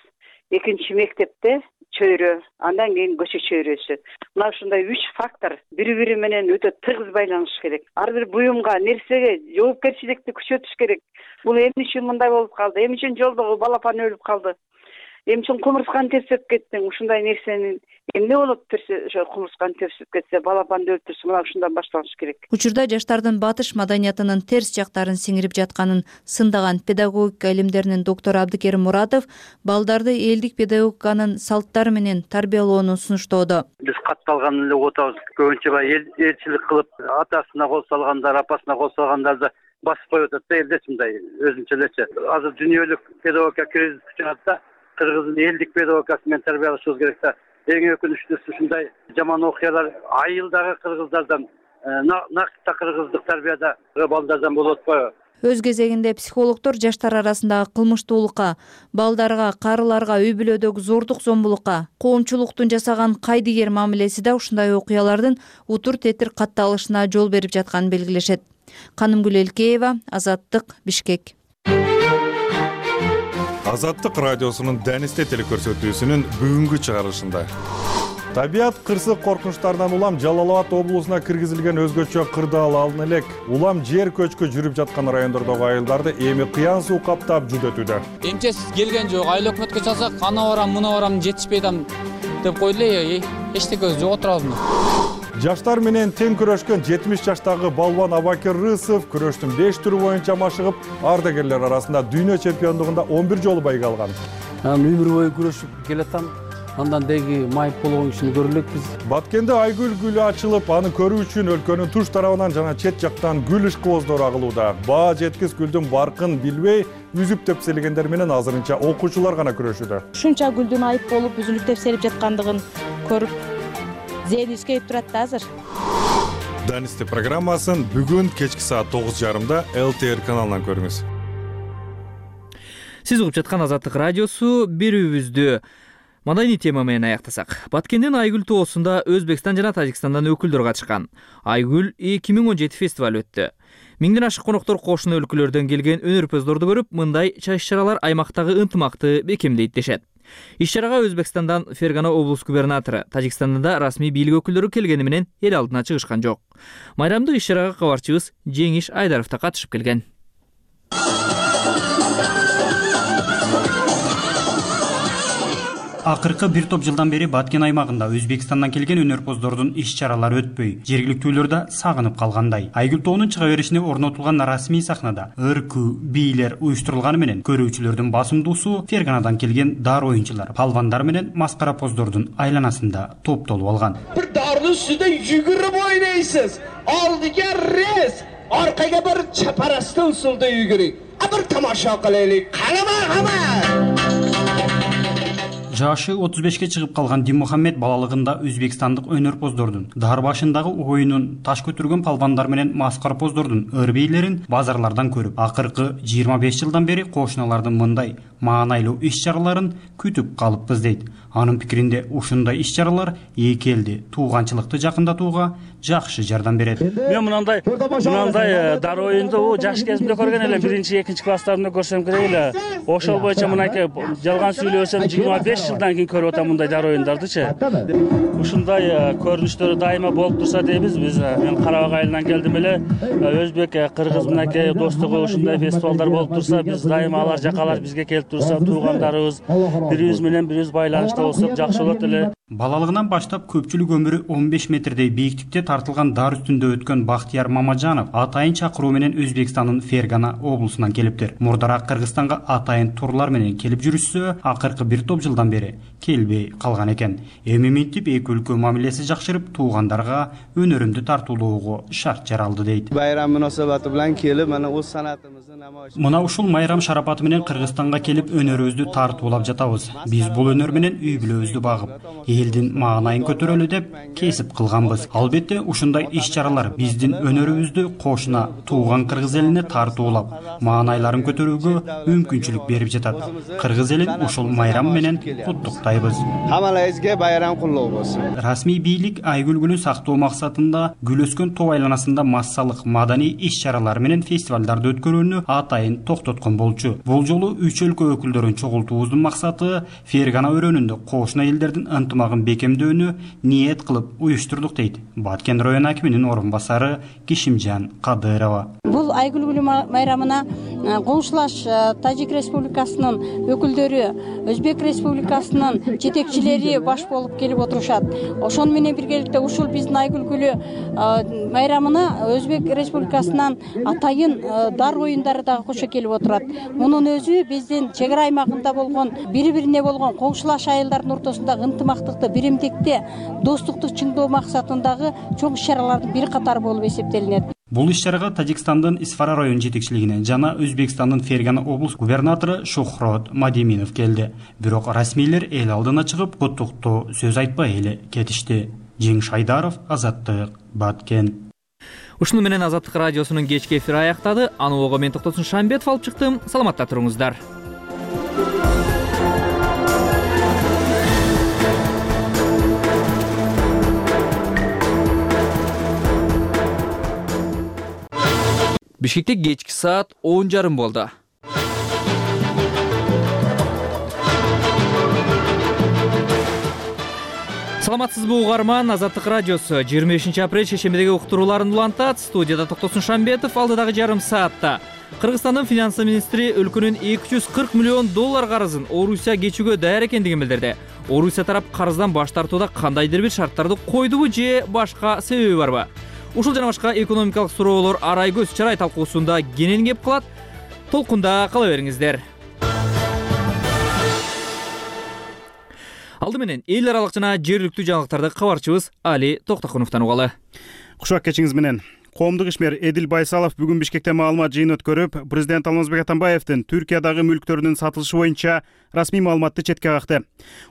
Экинчи мектепте чөйрө, андан кийин көчө чөйрөсү. Мына ушундай үч фактор бири-бири менен өтө тыгыз байланыш керек. Ар бир буюмга, нерсеге жоопкерчиликти күчөтүш керек. Бул эмне үчүн мындай болуп калды? Эмне үчүн жолдогу балапан өлүп калды? эми чоң кумурсканы терсеп кеттиң, ушундай нерсени эмне болот терсе, ошо кумурсканы терсеп кетсе, балапанды өлтүрсө, мына ушундан башталыш керек. Учурда жаштардын батыш маданиятынын терс жактарын сиңирип жатканын сындаган педагогика илимдеринин доктору Абдыкерим Муратов балдарды элдик педагогиканын салттары менен тарбиялоону сунуштоодо. Биз катталган эле отабыз. Көбүнчө баягы элчилик кылып, атасына кол салгандар, апасына кол салгандарды басып коюп атат да, элде мындай өзүнчө элечи. Азыр дүйнөлүк педагогика кризис чыгат да, кыргыздын элдик педагогикасы менен тарбиялашыбыз керек да. Эң өкүнүчтүүсү ушундай жаман окуялар айылдагы кыргыздардан, накта кыргыздык тарбияда балдардан болуп атпайбы? Өз кезегинде психологдор жаштар арасындагы кылмыштуулукка, балдарга, карыларга, үй бүлөдөгү зордук зомбулукка, коомчулуктун жасаган кайдыгер мамилеси да ушундай окуялардын утур тетир катталышына жол берип жатканын белгилешет. Канымгүл Элкеева, Азаттык, Бишкек. Азаттык радиосунун Денисте телекөрсөтүүсүнүн бүгүнкү чыгарылышында табият кырсык коркунучтарынан улам Жалал Абад облусуна киргизилген өзгөчө кырдаал алын элек. Улам жер көчкү жүрүп жаткан райондордогу айылдарды эми кыян суу каптап жүдөтүүдө. Эмчесиз келген жок, айыл өкмөткө чалсак, ана барам, мына барам, жетишпей атам деп койду эле, эчтеке жок отурабыз. Жаштар менен тең күрөшкөн жетимиш жаштагы балбан Абакер Рысов күрөштүн беш түрү боюнча машыгып, ардагерлер арасында дүйнө чемпиондугунда он бир жолу байга алган. Өмүр бою күрөшүп келатам. Андан деги майып болгон кишини көрө элекпиз. Баткенде айгүл гүлү ачылып, аны көрүү үчүн өлкөнүн туш тарабынан жана чет жактан гүл ишкыбоздору агылууда. Баа жеткис гүлдүн баркын билбей, үзүп тепселегендер менен азырынча окуучулар гана күрөшүүдө. Ушунча гүлдүн айып болуп, үзүлүп тепселип жаткандыгын көрүп, зээни искейип турат да азыр. Данисте программасын бүгүн кечки саат тогуз жарымда эл ти эр каналынан көрүңүз. Сиз угуп жаткан Азаттык радиосу берүүбүздү маданий тема менен аяктасак. Баткендин Айгүл тоосунда Өзбекстан жана Тажикстандан өкүлдөр катышкан. Айгүл эки миң он жети фестиваль өттү. Миңден ашык коноктор кошуна өлкөлөрдөн келген өнөрпөздөрдү көрүп, мындай иш-чаралар аймактагы ынтымакты бекемдейт дешет. Иш-чарага Өзбекстандан Фергана облус губернатору, Тажикстандан да расмий бийлик өкүлдөрү келгени менен эл алдына чыгышкан жок. Майрамдык иш-чарага кабарчыбыз Жеңиш Айдаров да катышып келген. Акыркы бир топ жылдан бери Баткен аймагында Өзбекстандан келген өнөрпоздордун иш-чаралары өтпөй, жергиликтүүлөр да сагынып калгандай. Айгүл тоонун чыга беришине орнотулган расмий сахнада ыркуу бийлер уюштурулганы менен көрүүчүлөрдүн басымдуусу Ферганадан келген дар оюнчулар, палвандар менен маскарапоздордун айланасында топтолуп алган. Бир дардын үстүндө жүгүрүп ойнойсуз. Алдыга рез, аркага бир чапарасты усулда жүгүрүп. А бир тамаша кылайлык. Калама, калама. Жашы отуз бешке чыгып калган Диммухаммед балалыгында өзбекстандык өнөрпоздордун, дар башындагы оюнун, таш көтөргөн палвандар менен маскарапоздордун ыр бийлерин базарлардан көрүп, акыркы жыйырма беш жылдан бери кошуналардын мындай маанайлуу иш-чараларын күтүп калыппыз дейт. Анын пикиринде ушундай иш-чаралар эки элди тууганчылыкты жакындатууга жакшы жардам берет. Мен мындай мындай дар оюнду жаш кезимде көргөн элем, биринчи, экинчи класстарымда көрсөм керек эле. Ошол боюнча мынакей жалган сүйлөсөм жыйырма беш жылдан кийин көрүп атам мындай дар оюндардычы. Ушундай көрүнүштөр дайыма болуп турса дейбиз биз. Мен Карабак айылынан келдим эле. Өзбек, кыргыз мынакей достугу ушундай фестивалдар болуп турса, биз дайыма алар жакалар бизге келип турса, туугандарыбыз бирибиз менен бирибиз байланышта болсок жакшы болот эле. Балалыгынан баштап көпчүлүк өмүрү он беш метрдей бийиктикте тартылган дар үстүндө өткөн Бактияр Мамажанов атайын чакыруу менен Өзбекстандын Фергана облусунан келиптир. Мурдараак Кыргызстанга атайын турлар менен келип жүрүшсө, акыркы бир топ жылдан бери келбей калган экен. Эми минтип эки өлкө мамилеси жакшырып, туугандарга өнөрүмдү тартуулоого шарт жаралды дейт. Байрам мунасабаты менен келип, мына өз санатыбызды намоюш. Мына ушул майрам шарапаты менен Кыргызстанга келип өнөрүбүздү тартуулап жатабыз. Биз бул өнөр менен үй бүлөбүздү багып, элдин маанайын көтөрөлү деп кесип кылганбыз. Албетте ушундай иш-чаралар биздин өнөрүбүздү кошуна тууган кыргыз элине тартуулап, маанайларын көтөрүүгө мүмкүнчүлүк берип жатат. Кыргыз элин ушул майрам менен куттуктайбыз. Хамалайызга байрам кутлуу болсун. Расмий бийлик Айгүл гүлүн сактоо максатында гүл өскөн тоо айланасында массалык маданий иш-чаралар менен фестивалдарды өткөрүүнү атайын токтоткон болчу. Бул жолу үч өлкө өкүлдөрүн чогултуубуздун максаты Фергана өрөөнүндө кошуна элдердин ынтымагын бекемдөөнү ниет кылып уюштурдук дейт Баткен район акиминин орун басары Кишимжан Кадырова. Бул Айгүл гүлү майрамына коңшулаш Тажик Республикасынын өкүлдөрү, Өзбек Республикасынын жетекчилери баш болуп келип отурушат. Ошону менен биргеликте ушул биздин Айгүл майрамына Өзбек Республикасынан атайын дар оюндары дагы кошо келип отурат. Мунун өзү биздин чек ара аймагында болгон бири-бирине болгон коңшулаш айылдардын ортосундагы ынтымактыкты, биримдикти, достукту чыңдоо максатындагы чоң иш-чаралардын бир катары болуп эсептелинет. Бул иш-чарага Тажикстандын Исфара район жетекчилигинен жана Өзбекстандын Фергана облус губернатору Шухрот Мадеминов келди. Бирок расмийлер эл алдына чыгып куттуктоо сөз айтпай эле кетишти. Жеңиш Айдаров, Азаттык, Баткен. Ушуну менен Азаттык радиосунун кечки эфири аяктады. Аны угууга мен Токтосун Шамбетов алып чыктым. Саламатта туруңуздар. Бишкекте кечки саат он жарым болду. Саламатсызбы угарман, Азаттык радиосу жыйырма бешинчи апрель шейшембидеги уктурууларын улантат. Студияда Токтосун Шамбетов. Алдыдагы жарым саатта Кыргызстандын финансы министри өлкөнүн эки жүз кырк миллион доллар карызын Орусия кечүүгө даяр экендигин билдирди. Орусия тарап карыздан баш тартууда кандайдыр бир шарттарды койдубу же башка себеби барбы? Ушул жана башка экономикалык суроолор арай көз чарай талкуусунда кенен кеп калат. Толкунда кала бериңиздер. Алды менен эл аралык жана жергиликтүү жаңылыктарды кабарчыбыз Али Токтокуновдон угалы. Кушак кечиңиз менен. Коомдук ишмер Эдил Байсалов бүгүн Бишкекте маалымат жыйын өткөрүп, президент Алмазбек Атамбаевдин Түркиядагы мүлктөрүнүн сатылышы боюнча расмий маалыматты четке какты.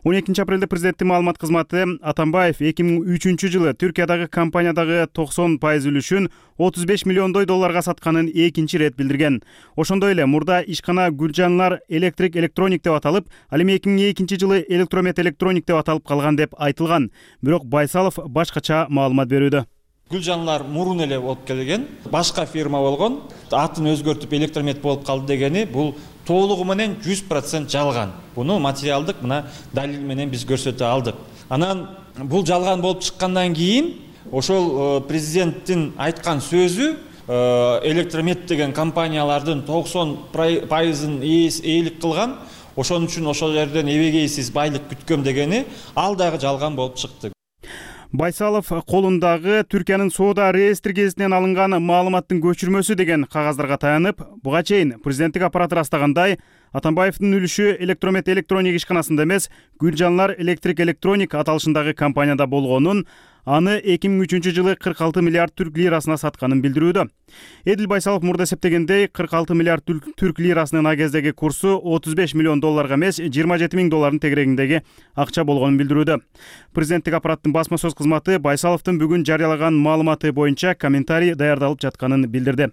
он экинчи апрелде президенттин маалымат кызматы Атамбаев эки миң үчүнчү жылы Түркиядагы компаниядагы токсон пайыз үлүшүн отуз беш миллиондой долларга сатканын экинчи ирет билдирген. Ошондой эле мурда ишкана Гүлжанлар Электрик Электроник деп аталып, ал эми эки миң экинчи жылы Электромет Электроник деп аталып калган деп айтылган. Бирок Байсалов башкача маалымат берүүдө. Гүлжанлар мурун эле болуп келген, башка фирма болгон, атын өзгөртүп Электромет болуп калды дегени бул толугу менен жүз процент жалган. Буну материалдык мына далил менен биз көрсөтө алдык. Анан бул жалган болуп чыккандан кийин ошол президенттин айткан сөзү Электромет деген компаниялардын токсон пайызын ээлик кылган, ошон үчүн ошол жерден эбегейсиз байлык күткөм дегени ал дагы жалган болуп чыкты. Байсалов колундагы Түркиянын соода реестр гезитинен алынган маалыматтын көчүрмөсү деген кагаздарга таянып, буга чейин президенттик аппарат ырастагандай, Атамбаевдин үлүшү Электромет Электроник ишканасында эмес, Гүлжанлар Электрик Электроник аталышындагы компанияда болгонун, аны эки миң үчүнчү жылы кырк алты миллиард түрк лирасына сатканын билдирүүдө. Эдил Байсалов мурда эсептегендей, кырк алты миллиард түрк лирасынын а кездеги курсу отуз беш миллион долларга эмес, жыйырма жети миң доллардын тегерегиндеги акча болгонун билдирүүдө. Президенттик аппараттын басма сөз кызматы Байсаловдун бүгүн жарыялаган маалыматы боюнча комментарий даярдалып жатканын билдирди.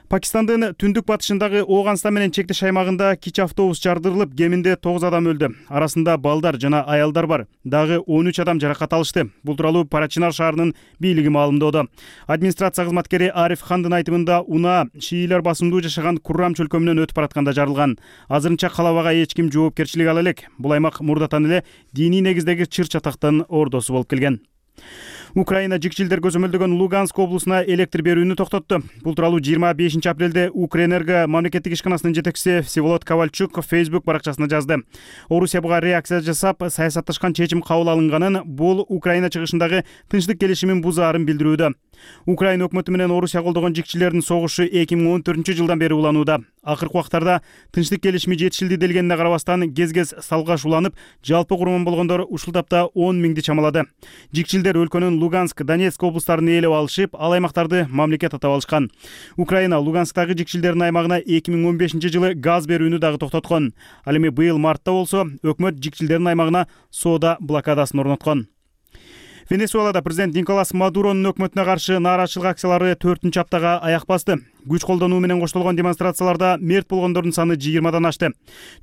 Пакистандын түндүк батышындагы Ооганстан менен чектеш аймагында кич автобус жардырылып, кеминде тогуз адам өлдү. Арасында балдар жана аялдар бар. Дагы он үч адам жаракат алышты. Бул тууралуу Парачинар шаарынын бийлиги маалымдоодо. Администрация кызматкери Ариф Хандын айтымында унаа шиилер басымдуу жашаган Куррам чөлкөмүнөн өтүп баратканда жарылган. Азырынча калабага эч ким жоопкерчилик ала элек. Бул аймак мурдатан эле диний негиздеги чыр чатактын ордосу болуп келген. Украина жикчилдер көзөмөлдөгөн Луганск облусуна электр берүүнү токтотту. Бул тууралуу жыйырма бешинчи апрелде Укрэнерго мамлекеттик ишканасынын жетекчиси Всеволод Ковальчук Facebook баракчасына жазды. Орусия буга реакция жасап, саясатташкан чечим кабыл алынганын, бул Украина чыгышындагы тынчтык келишимин бузаарын билдирүүдө. Украина өкмөтү менен Орусия колдогон жикчилердин согушу эки миң он төртүнчү жылдан бери уланууда. Акыркы убактарда тынчтык келишими жетишилди делгенине карабастан кез-кез салгаш уланып, жалпы курман болгондор ушул тапта он миңди чамалады. Жикчилдер өлкөнүн Луганск, Донецк облустарын ээлеп алышып, ал аймактарды мамлекет атап алышкан. Украина Луганскдагы жикчилдердин аймагына эки миң он бешинчи жылы газ берүүнү дагы токтоткон. Ал эми быйыл мартта болсо, өкмөт жикчилдердин аймагына соода блокадасын орноткон. Венесуэлада президент Николас Мадуронун өкмөтүнө каршы нааразычылык акциялары төртүнчү аптага аяк басты. Күч колдонуу менен коштолгон демонстрацияларда мерт болгондордун саны жыйырмадан ашты.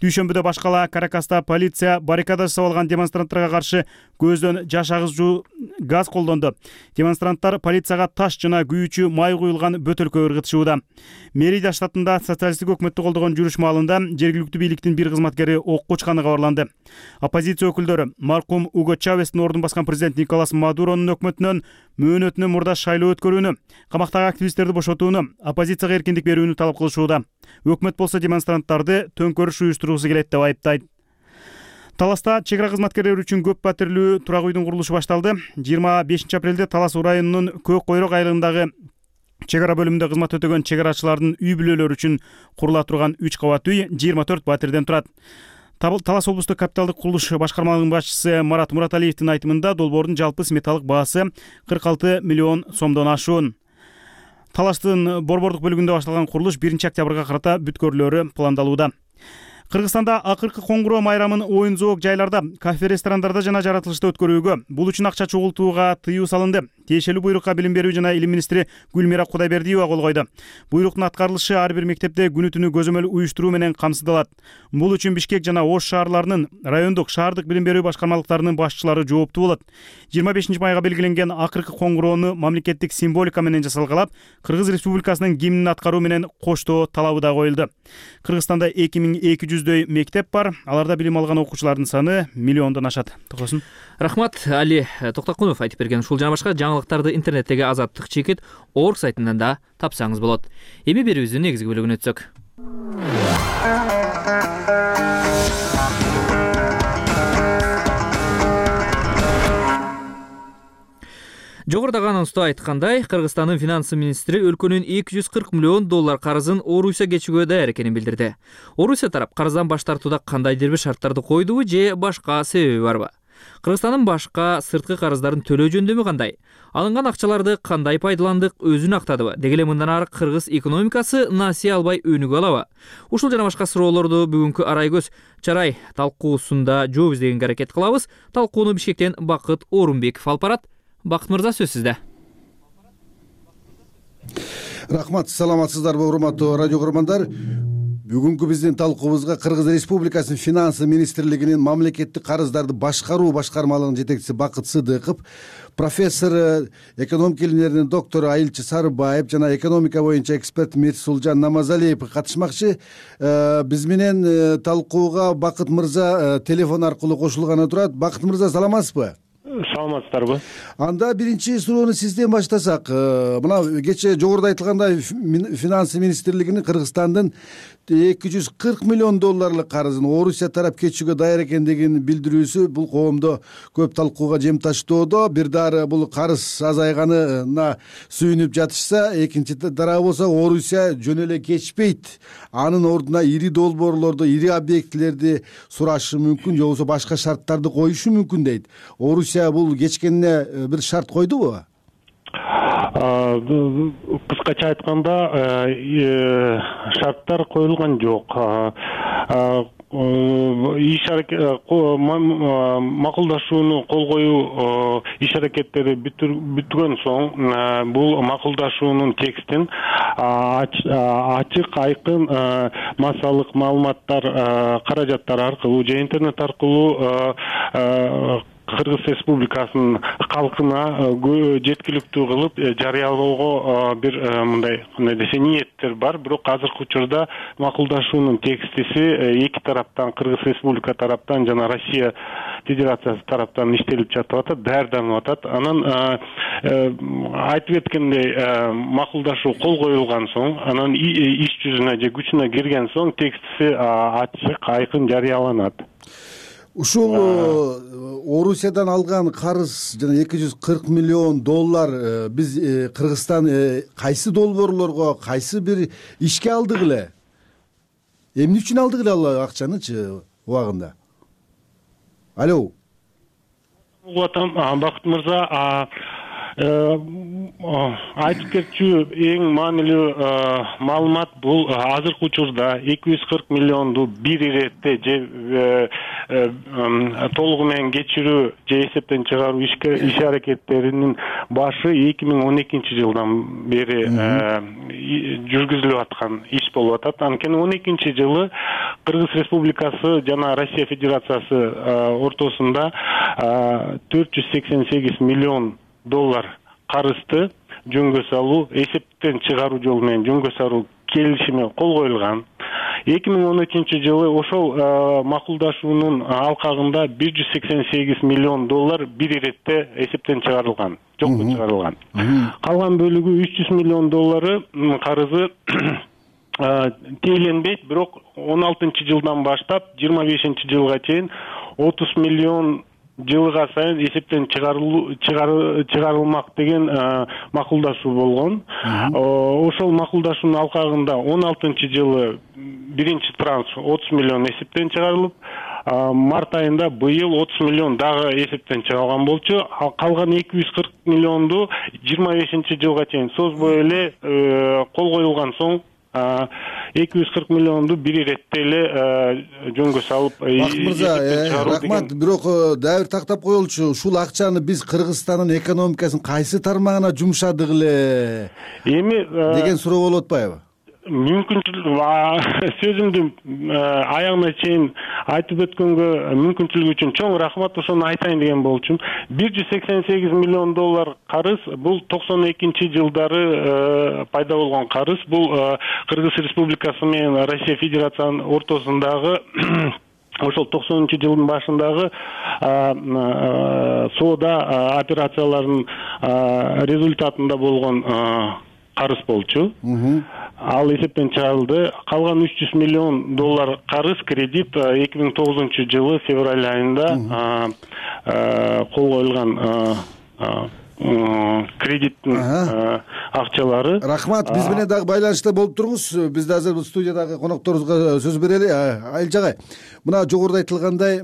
Дүйшөмбүдө баш кала Каракаста полиция баррикада жасап алган демонстранттарга каршы көздөн жаш агызчу газ колдонду. Демонстранттар полицияга таш жана күйүүчү май куюлган бөтөлкө ыргытышууда. Мерида штатында социалисттик өкмөттү колдогон жүрүш маалында жергиликтүү бийликтин бир кызматкери окко учканы кабарланды. Оппозиция өкүлдөрү маркум Уго Чавестин ордун баскан президент Николас Мадуронун өкмөтүнөн мөөнөтүнө мурда шайлоо өткөрүүнү, камактагы активисттерди бошотууну, оппозицияга эркиндик берүүнү талап кылышууда. Өкмөт болсо демонстранттарды төңкөрүш уюштургусу келет деп айыптайт. Таласта чек ара кызматкерлери үчүн көп паттирлүү турак үйдүн курулушу башталды. жыйырма бешинчи апрелде Талас районунун Көк Койрок айылындагы чек ара бөлүмүндө кызмат өтөгөн чек арачылардын үй бүлөлөрү үчүн курула турган үч кабат үй жыйырма төрт батирден турат. Талас облустук капиталдык курулуш башкармалыгынын башчысы Марат Мураталиевдин айтымында долбоордун жалпы сметалык баасы кырк алты миллион сомдон ашуун. Талаштын борбордук бөлүгүндө башталган курулуш биринчи октябрга карата бүткөрүлөрү пландалууда. Кыргызстанда акыркы коңгуроо майрамын оюн зоок жайларда, кафе, ресторандарда жана жаратылышта өткөрүүгө, бул үчүн акча чогултууга тыюу салынды. Тиешелүү буйрукка Билим берүү жана илим министри Гүлмира Кудайбердиева кол койду. Буйруктун аткарылышы ар бир мектепте күнү түнү көзөмөл уюштуруу менен камсыздалат. Бул үчүн Бишкек жана Ош шаарларынын райондук, шаардык билим берүү башкармалыктарынын башчылары жооптуу болот. жыйырма бешинчи майга белгиленген акыркы коңгуроону мамлекеттик символика менен жасалгалап, Кыргыз Республикасынын гимнин аткаруу менен коштоо талабы да коюлду. Кыргызстанда эки миң эки жүздөй мектеп бар. Аларда билим алган окуучулардын саны миллиондон ашат. Токосун. Рахмат, Али Токтокунов айтып берген ушул жана башка жаңылыктарды интернеттеги Азаттык чекит орг сайтынан да тапсаңыз болот. Эми берүүбүздүн негизги бөлүгүнө өтсөк. Жогорудагы анонсто айткандай, Кыргызстандын финанс министри өлкөнүн эки жүз кырк миллион доллар карызын Орусия кечүүгө даяр экенин билдирди. Орусия тарап карыздан баш тартууда кандайдыр бир шарттарды койдубу же башка себеби барбы? Кыргызстандын башка сырткы карыздарын төлөө жөндөмү кандай? Алынган акчаларды кандай пайдаландык, өзүн актадыбы? Деги эле мындан ары кыргыз экономикасы насыя албай өнүгө алабы? Ушул жана башка суроолорду бүгүнкү Арай көз чарай талкуусунда жооп издегенге аракет кылабыз. Талкууну Бишкектен Бакыт Орунбеков алып барат. Бакыт мырза, сөз сизде. Рахмат, саламатсыздарбы урматтуу радио көрөрмандар. Бүгүнкү биздин талкуубузга Кыргыз Республикасынын финанс министрлигинин мамлекеттик карыздарды башкаруу башкармалыгынын жетекчиси Бакыт Сыдыков, профессор, экономика илимдеринин доктору Айылчы Сарыбаев жана экономика боюнча эксперт Мирсулжан Намазалиев катышмакчы. Биз менен талкууга Бакыт мырза телефон аркылуу кошулганы турат. Бакыт мырза, саламатсызбы? Саламатсыздарбы? Анда биринчи суроону сизден баштасак. Мына кечээ жогоруда айтылгандай финанс министрлигинин Кыргызстандын эки жүз кырк миллион долларлык карызын Орусия тарап кечүүгө даяр экендигин билдирүүсү бул коомдо көп талкууга жем таштоодо. Бир дары бул карыз азайганына сүйүнүп жатышса, экинчи тарабы болсо Орусия жөн эле кечпейт. Анын ордуна ири долбоорлорду, ири объектилерди сурашы мүмкүн, же болбосо башка шарттарды коюшу мүмкүн дейт. Орусия бул кечкенине бир шарт койдубу? Кыскача айтканда, шарттар коюлган жок. Иш аракет макулдашууну кол коюу иш аракеттери бүткөн соң бул макулдашуунун текстин ачык, айкын массалык маалыматтар, каражаттар аркылуу же интернет аркылуу Кыргыз Республикасынын калкына жеткиликтүү кылып жарыялоого бир мындай кандай десе ниеттер бар. Бирок азыркы учурда макулдашуунун текстиси эки тараптан, Кыргыз Республика тараптан жана Россия Федерациясы тараптан иштелип жатып атат, даярданып атат. Анан айтып өткөндөй макулдашуу кол коюлган соң, анан иш жүзүнө же күчүнө кирген соң текстиси ачык, айкын жарыяланат. Ушул Орусиядан алган карыз жана эки жүз кырк миллион доллар биз Кыргызстан кайсы долбоорлорго, кайсы бир ишке алдык эле? Эмне үчүн алдык эле ал акчанычы убагында? Алло. Бакыт мырза, айтып кетчү эң маанилүү маалымат бул азыркы учурда эки жүз кырк миллионду бир иретте же толугу менен кечирүү же эсептен чыгаруу иш аракеттеринин башы эки миң он экинчи жылдан бери жүргүзүлүп аткан иш болуп атат. Анткени он экинчи жылы Кыргыз Республикасы жана Россия Федерациясы ортосунда төрт жүз сексен сегиз миллион доллар карызды жөнгө салуу, эсептен чыгаруу жолу менен жөнгө салуу келишими кол коюлган. эки миң он үчүнчү жылы ошол макулдашуунун алкагында бир жүз сексен сегиз миллион доллар бир иретте эсептен чыгарылган, жокко чыгарылган. Калган бөлүгү үч жүз миллион доллары карызы тээленбейт, бирок он алтынчы жылдан баштап жыйырма бешинчи жылга чейин отуз миллион жылга сайын эсептен чыгарылмак деген макулдашуу болгон. Ошол макулдашуунун алкагында он алтынчы жылы биринчи транш отуз миллион эсептен чыгарылып, март айында быйыл отуз миллион дагы эсептен чыгарылган болчу. Калган эки жүз кырк миллионду жыйырма бешинчи жылга чейин созбой эле кол коюлган соң эки жүз кырк миллионду бир иретте эле жөнгө салып. Бакыт мырза, рахмат. Бирок дагы бир тактап коелучу, ушул акчаны биз Кыргызстандын экономикасынын кайсы тармагына жумшадык эле эми деген суроо болуп атпайбы? Мүмкүнчүлүк сөзүмдү аягына чейин айтып өткөнгө мүмкүнчүлүк үчүн чоң рахмат. Ошону айтайын деген болчумун. бир жүз сексен сегиз миллион доллар карыз бул токсон экинчи жылдары пайда болгон карыз. Бул Кыргыз Республикасы менен Россия Федерациянын ортосундагы ошол токсонунчу жылдын башындагы соода операцияларынын результатында болгон карыз болчу. Ал эсептен чыгарылды. Калган үч жүз миллион доллар карыз кредит эки миң тогузунчу жылы февраль айында кол коюлган кредиттин акчалары. Рахмат. Биз менен дагы байланышта болуп туруңуз. Биз да азыр бул студиядагы конокторубузга сөз берели. Айылчы агай, мына жогоруда айтылгандай,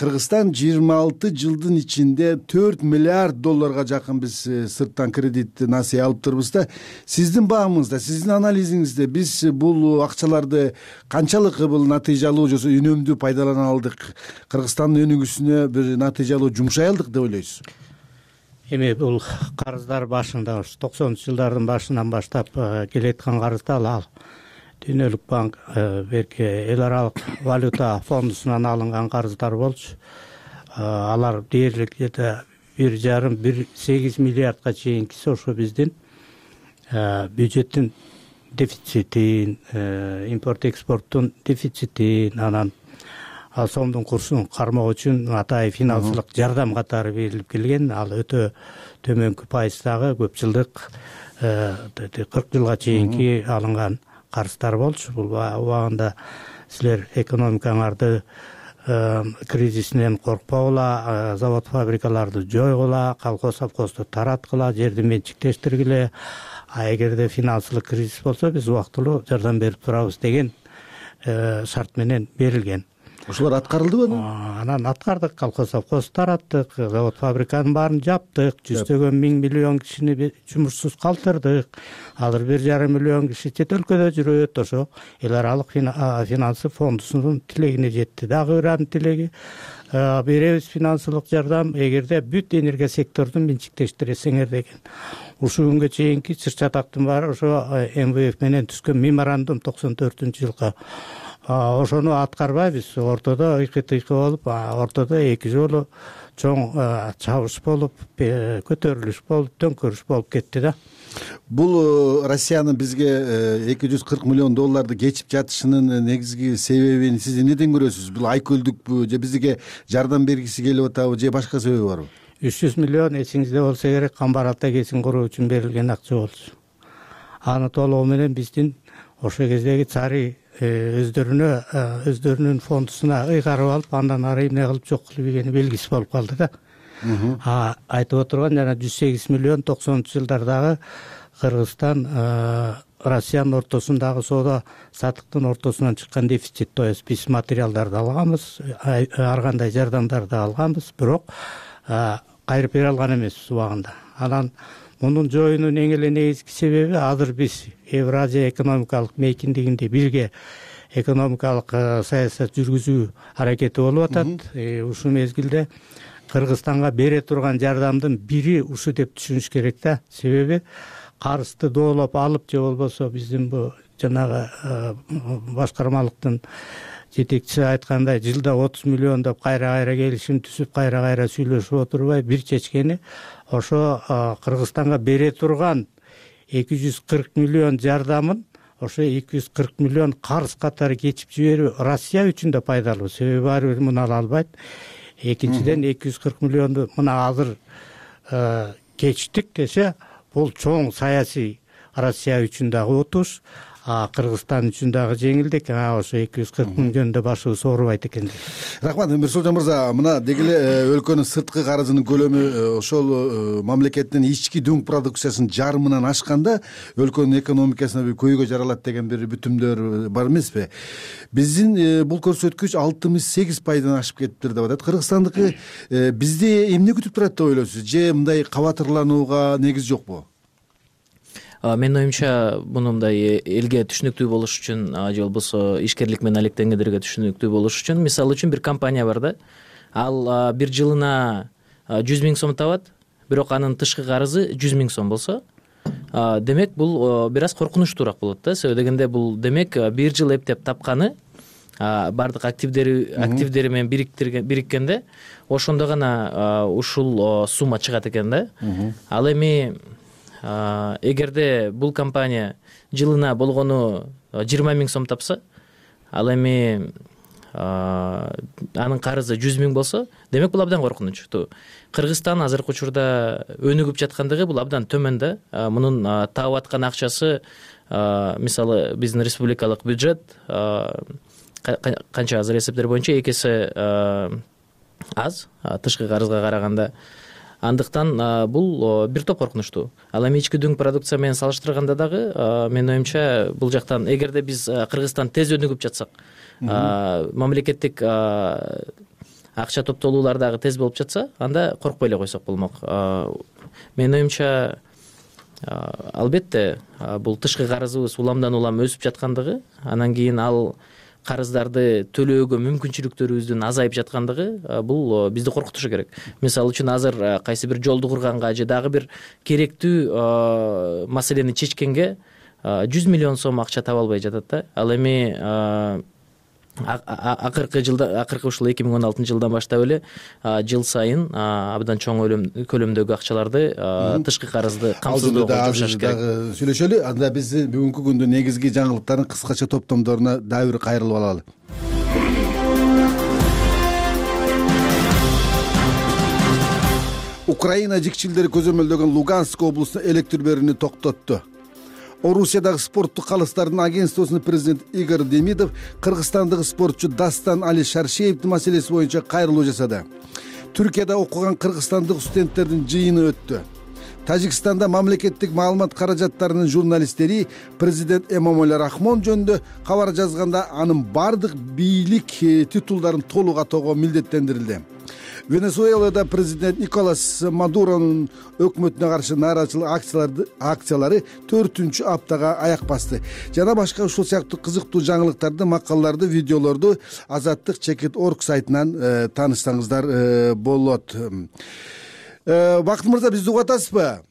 Кыргызстан жыйырма алты жылдын ичинде төрт миллиард долларга жакын биз сырттан кредит насыя алыптырбыз да. Сиздин баамыңызда, сиздин анализиңизде биз бул акчаларды канчалык бул натыйжалуу же үнөмдүү пайдалана алдык? Кыргызстандын өнүгүүсүнө бир натыйжалуу жумшай алдык деп ойлойсуз? Эми бул карыздар башында ушу токсонунчу жылдардын башынан баштап келеаткан карыздар ал Дүйнөлүк банк берки эл аралык валюта фондусунан алынган карыздар болчу. Алар дээрлик где-то бир жарым бир сегиз миллиардга чейинкиси ошо биздин бюджеттин дефицитин, импорт экспорттун дефицитин, анан сомдун курсун кармоо үчүн атайын финансылык жардам катары берилип келген. Ал өтө төмөнкү пайыздагы көп жылдык кырк жылга чейинки алынган карыздар болчу. Бул убагында силер экономикаңарды кризисинен коркпогула, завод фабрикаларды жойгула, колхоз совхозду тараткыла, жерди менчиктештиргиле. А эгерде финансылык кризис болсо биз убактылуу жардам берип турабыз деген шарт менен берилген. Ошолор аткарылдыбы? Анан аткардык, колхоз совхоз тараттык, завод фабриканын баарын жаптык, жүздөгөн миң миллион кишини жумушсуз калтырдык. Азыр бир жарым миллион киши чет өлкөдө жүрөт. Ошо эл аралык финансы фондусунун тилегине жетти. Дагы бир анын тилеги беребиз финансылык жардам эгерде бүт энергия сектордун менчиктештиресиңер деген. Ушул күнгө чейинки чыр чатактын баары ошо эм вэ эф менен түзгөн меморандум токсон төртүнчү жылга. Ошону аткарбайбыз. Ортодо ыйкы-тыйкы болуп, ортодо эки жолу чоң чабыш болуп, көтөрүлүш болуп, төңкөрүш болуп кетти да. Бул Россиянын бизге эки жүз кырк миллион долларды кечип жатышынын негизги себебин сиз эмнеден көрөсүз? Бул айкөлдүкпү же бизге жардам бергиси келип атабы же башка себеби барбы? үч жүз миллион эсиңизде болсо керек, Камбар-Ата кесин куруу үчүн берилген акча болчу. Аны толугу менен биздин ошол кездеги цари өздөрүнө өздөрүнүн фондусуна ыйгарып алып, андан ары эмне кылып жок кылып ийгени белгисиз болуп калды да. А айтып отурган жана жүз сегиз миллион токсонунчу жылдардагы Кыргызстан Россиянын ортосундагы соода саттыктын ортосунан чыккан дефицит. То есть биз материалдарды алганбыз, ар кандай жардамдарды алганбыз, бирок кайрып бере алган эмеспиз убагында. Анан мунун жоюунун эң эле негизги себеби азыр биз Евразия экономикалык мейкиндигинде бирге экономикалык саясат жүргүзүү аракети болуп атат. Ушул мезгилде Кыргызстанга бере турган жардамдын бири ушу деп түшүнүш керек да. Себеби карызды доолоп алып же болбосо биздин бу жанагы башкармалыктын жетекчиси айткандай жылда отуз миллион деп кайра-кайра келишим түзүп, кайра-кайра сүйлөшүп отурбай бир чечкени ошо Кыргызстанга бере турган эки жүз кырк миллион жардамын ошо эки жүз кырк миллион карыз катары кечип жиберүү Россия үчүн да пайдалуу, себеби ар бир муну ала албайт. Экинчиден эки жүз кырк миллионду мына азыр кечтик десе, бул чоң саясий Россия үчүн дагы отуш, Кыргызстан үчүн дагы жеңилдик. Ошо эки жүз кырк миллиондо башыбыз оорубайт экен. Рахмат Мирсолжон мырза, мына деги эле өлкөнүн сырткы карызынын көлөмү ошол мамлекеттин ички дүң продукциясынын жарымынан ашканда өлкөнүн экономикасына бир көйгөй жаралат деген бир бүтүмдөр бар эмеспи? Биздин бул көрсөткүч алтымыш сегиз пайдан ашып кетиптир деп атат. Кыргызстандыкы бизди эмне күтүп турат деп ойлойсуз? Же мындай кабатырланууга негиз жокпу? Менин оюмча муну мындай элге түшүнүктүү болуш үчүн же болбосо ишкерлик менен алектенгендерге түшүнүктүү болуш үчүн, мисалы үчүн бир компания бар да, ал бир жылына жүз миң сом табат, бирок анын тышкы карызы жүз миң сом болсо, демек бул бир аз коркунучтуураак болот да. Себеби дегенде бул демек бир жыл эптеп тапканы баардык активдери активдери менен бириккенде ошондо гана ушул сумма чыгат экен да. Ал эми эгерде бул компания жылына болгону жыйырма миң сом тапса, ал эми анын карызы жүз миң болсо, демек бул абдан коркунучтуу. Кыргызстан азыркы учурда өнүгүп жаткандыгы бул абдан төмөн да. Мунун таап аткан акчасы, мисалы биздин республикалык бюджет канча азыр эсептер боюнча эки эсе аз тышкы карызга караганда. Андыктан бул бир топ коркунучтуу. Ал эми ички дүң продукция менен салыштырганда дагы менин оюмча бул жактан эгерде биз Кыргызстан тез өнүгүп жатсак, мамлекеттик акча топтолуулар дагы тез болуп жатса, анда коркпой эле койсок болмок. Менин оюмча албетте бул тышкы карызыбыз уламдан улам өсүп жаткандыгы, анан кийин ал карыздарды төлөөгө мүмкүнчүлүктөрүбүздүн азайып жаткандыгы бул бизди коркутушу керек. Мисалы үчүн азыр кайсы бир жолду курганга же дагы бир керектүү маселени чечкенге жүз миллион сом акча таба албай жатат да. Ал эми акыркы жылда, акыркы ушул эки миң он алтынчы жылдан баштап эле жыл сайын абдан чоң көлөмдөгү акчаларды тышкы карызды камсыздоого жумшаш керек. Дагы сүйлөшөлү. Анда биз бүгүнкү күндүн негизги жаңылыктарын кыскача топтомдоруна дагы бир кайрылып алалы. Украина жикчилдери көзөмөлдөгөн Луганск облусуна электр берүүнү токтотту. Орусиядагы спорттук калыстардын агентствосунун президенти Игорь Демидов кыргызстандык спортчу Дастан Али Шаршеевдин маселеси боюнча кайрылуу жасады. Түркияда окуган кыргызстандык студенттердин жыйыны өттү. Тажикстанда мамлекеттик маалымат каражаттарынын журналисттери президент Эмомали Рахмон жөнүндө кабар жазганда анын бардык бийлик титулдарын толук атоого милдеттендирилди. Венесуэлада президент Николас Мадуронун өкмөтүнө каршы нааразычылык акциялары акциялары төртүнчү аптага аяк басты. Жана башка ушул сыяктуу кызыктуу жаңылыктарды, макалаларды, видеолорду Азаттык чекит точка орг сайтынан таанышсаңыздар болот. Бакыт мырза, бизди угуп атасызбы?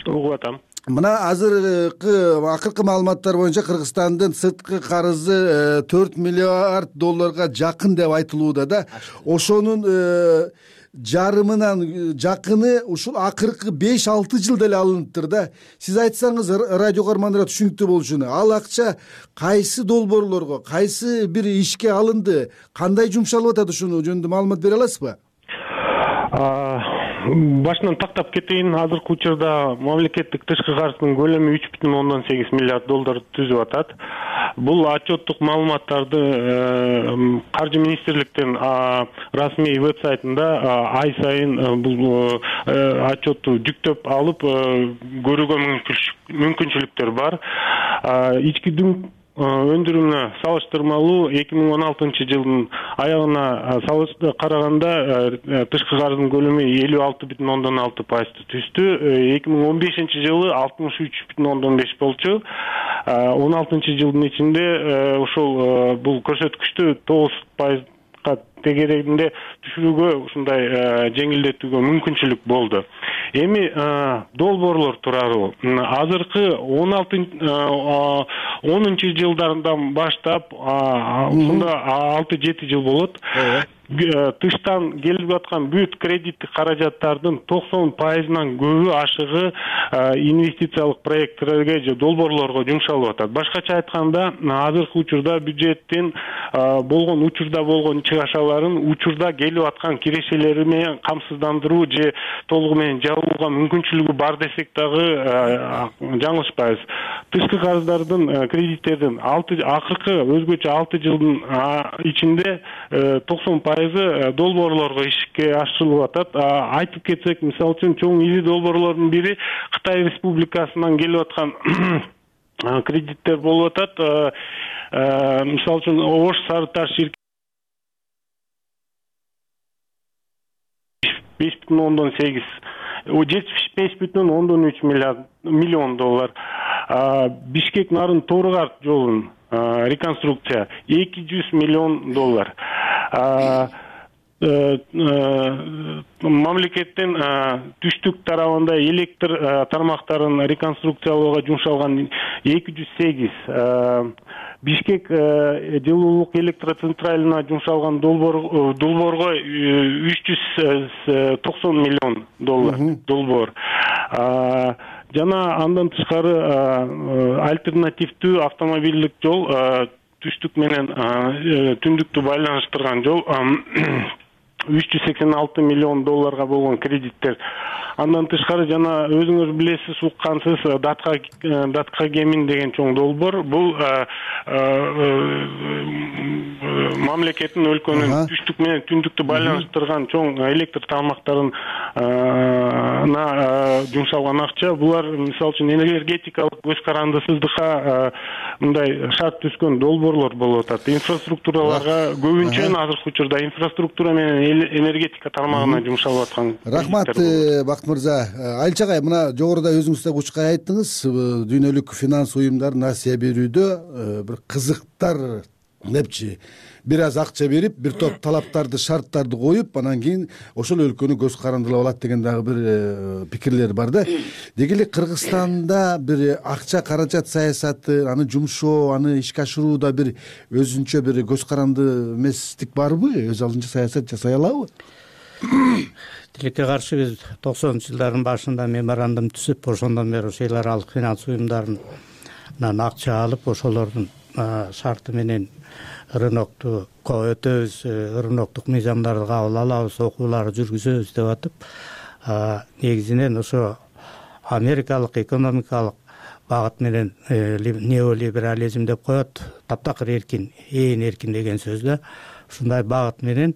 Угуп атам. Мына азыркы акыркы маалыматтар боюнча Кыргызстандын сырткы карызы төрт миллиард долларга жакын деп айтылууда да. Ошонун жарымынан жакыны ушул акыркы беш алты жылда эле алыныптыр да. Сиз айтсаңыз радио көрөрмандарга түшүнүктүү болушуну, ал акча кайсы долбоорлорго, кайсы бир ишке алынды, кандай жумшалып атат, ушуну жөнүндө маалымат бере аласызбы? Башынан тактап кетейин. Азыркы учурда мамлекеттик тышкы карыздын көлөмү үч бүтүн ондон сегиз миллиард доллар түзүп атат. Бул отчеттук маалыматтарды Каржы министрликтин расмий веб-сайтында ай сайын бул отчетту жүктөп алып көрүүгө мүмкүнчүлүктөр бар. Ички дүң өндүрүмүнө салыштырмалуу эки миң он алтынчы жылдын аягына караганда тышкы карыздын көлөмү элүү алты бүтүн ондон алты пайызды түздү. эки миң он бешинчи жылы алтымыш үч бүтүн ондон беш болчу. он алтынчы жылдын ичинде ушул бул көрсөткүчтү тогуз пайызга тегерегинде түшүрүүгө, ушундай жеңилдетүүгө мүмкүнчүлүк болду. Эми долбоорлор тууралуу азыркы онунчу жылдардан баштап, ушунда алты жети жыл болот. тыштан келип аткан бүт кредиттик каражаттардын токсон пайызынан көбү ашыгы инвестициялык проекттерге же долбоорлорго жумшалып атат. Башкача айтканда, азыркы учурда бюджеттин болгон учурда болгон чыгашаларын учурда келип аткан кирешелери менен камсыздандыруу же толугу менен жабууга мүмкүнчүлүгү бар десек дагы жаңылышпайбыз. Тышкы карыздардын, кредиттердин акыркы өзгөчө алты жылдын ичинде токсон пайызы долбоорлорго ишке ашырылып атат. Айтып кетсек, мисалы үчүн чоң ири долбоорлордун бири Кытай Республикасынан келип аткан кредиттер болуп атат. Мисалы үчүн Ош Сары Таш ширкети беш бүтүн ондон сегиз, жетимиш беш бүтүн ондон үч миллион доллар. Бишкек Нарын Торгарт жолун реконструкция эки жүз миллион доллар. Мамлекеттин түштүк тарабында электр тармактарын реконструкциялоого жумшалган эки жүз сегиз, Бишкек жылуулук электроцентралына жумшалган долбоорго үч жүз токсон миллион доллар долбоор. Жана андан тышкары альтернативдүү автомобилдик жол, түштүк менен түндүктү байланыштырган жол үч жүз сексен алты миллион долларга болгон кредиттер. Андан тышкары жана өзүңүз билесиз, уккансыз Датка Датка Кемин деген чоң долбоор. Бул мамлекеттин өлкөнүн түштүк менен түндүктү байланыштырган чоң электр тармактарын жумшалган акча. Булар мисалы үчүн энергетикалык көз карандысыздыкка мындай шарт түзгөн долбоорлор болуп атат. Инфраструктураларга көбүнчө азыркы учурда инфраструктура менен энергетика тармагына жумшалып аткан. Рахмат, Бакыт мырза. Айылчы агай, мына жогоруда өзүңүз да учкай айттыңыз, дүйнөлүк финанс уюмдар насыя берүүдө бир кызыктар депчи, бир аз акча берип, бир топ талаптарды, шарттарды коюп, анан кийин ошол өлкөнү көз карандылап алат деген дагы бир пикирлер бар да. Деги эле Кыргызстанда бир акча каражат саясаты, аны жумшоо, аны ишке ашырууда бир өзүнчө бир көз каранды эместик барбы? Өз алдынча саясат жасай алабы? Тилекке каршы биз токсонунчу жылдардын башында меморандум түзүп, ошондон бери ошо эл аралык финанс уюмдарынан акча алып, ошолордун шарты менен рынокту өтөбүз, рыноктук мыйзамдарды кабыл алабыз, окууларды жүргүзөбүз деп атып, негизинен ошо америкалык экономикалык багыт менен неолиберализм деп коет, таптакыр эркин, ээн эркин деген сөз да. Ушундай багыт менен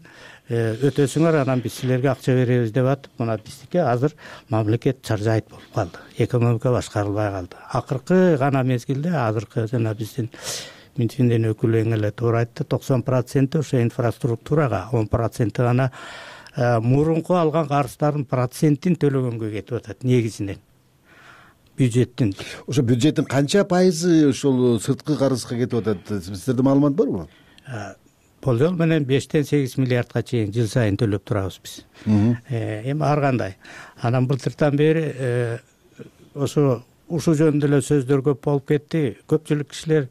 өтөсүңөр, анан биз силерге акча беребиз деп атып, мына биздики азыр мамлекет чаржайт болуп калды. Экономика башкарылбай калды. Акыркы гана мезгилде азыркы жана биздин Минфиндин өкүлү эң эле туура айтты, токсон проценти ошо инфраструктурага, он проценти гана мурунку алган карыздардын процентин төлөгөнгө кетип атат негизинен. Бюджеттин. Ошо бюджеттин канча пайызы ошол сырткы карызга кетип атат? Сиздерде маалымат барбы? Болжол менен бештен сегиз миллиардга чейин жыл сайын төлөп турабыз биз. Эми ар кандай. Анан былтыртан бери ошо ушул жөнүндө эле сөздөр көп болуп кетти. Көпчүлүк кишилер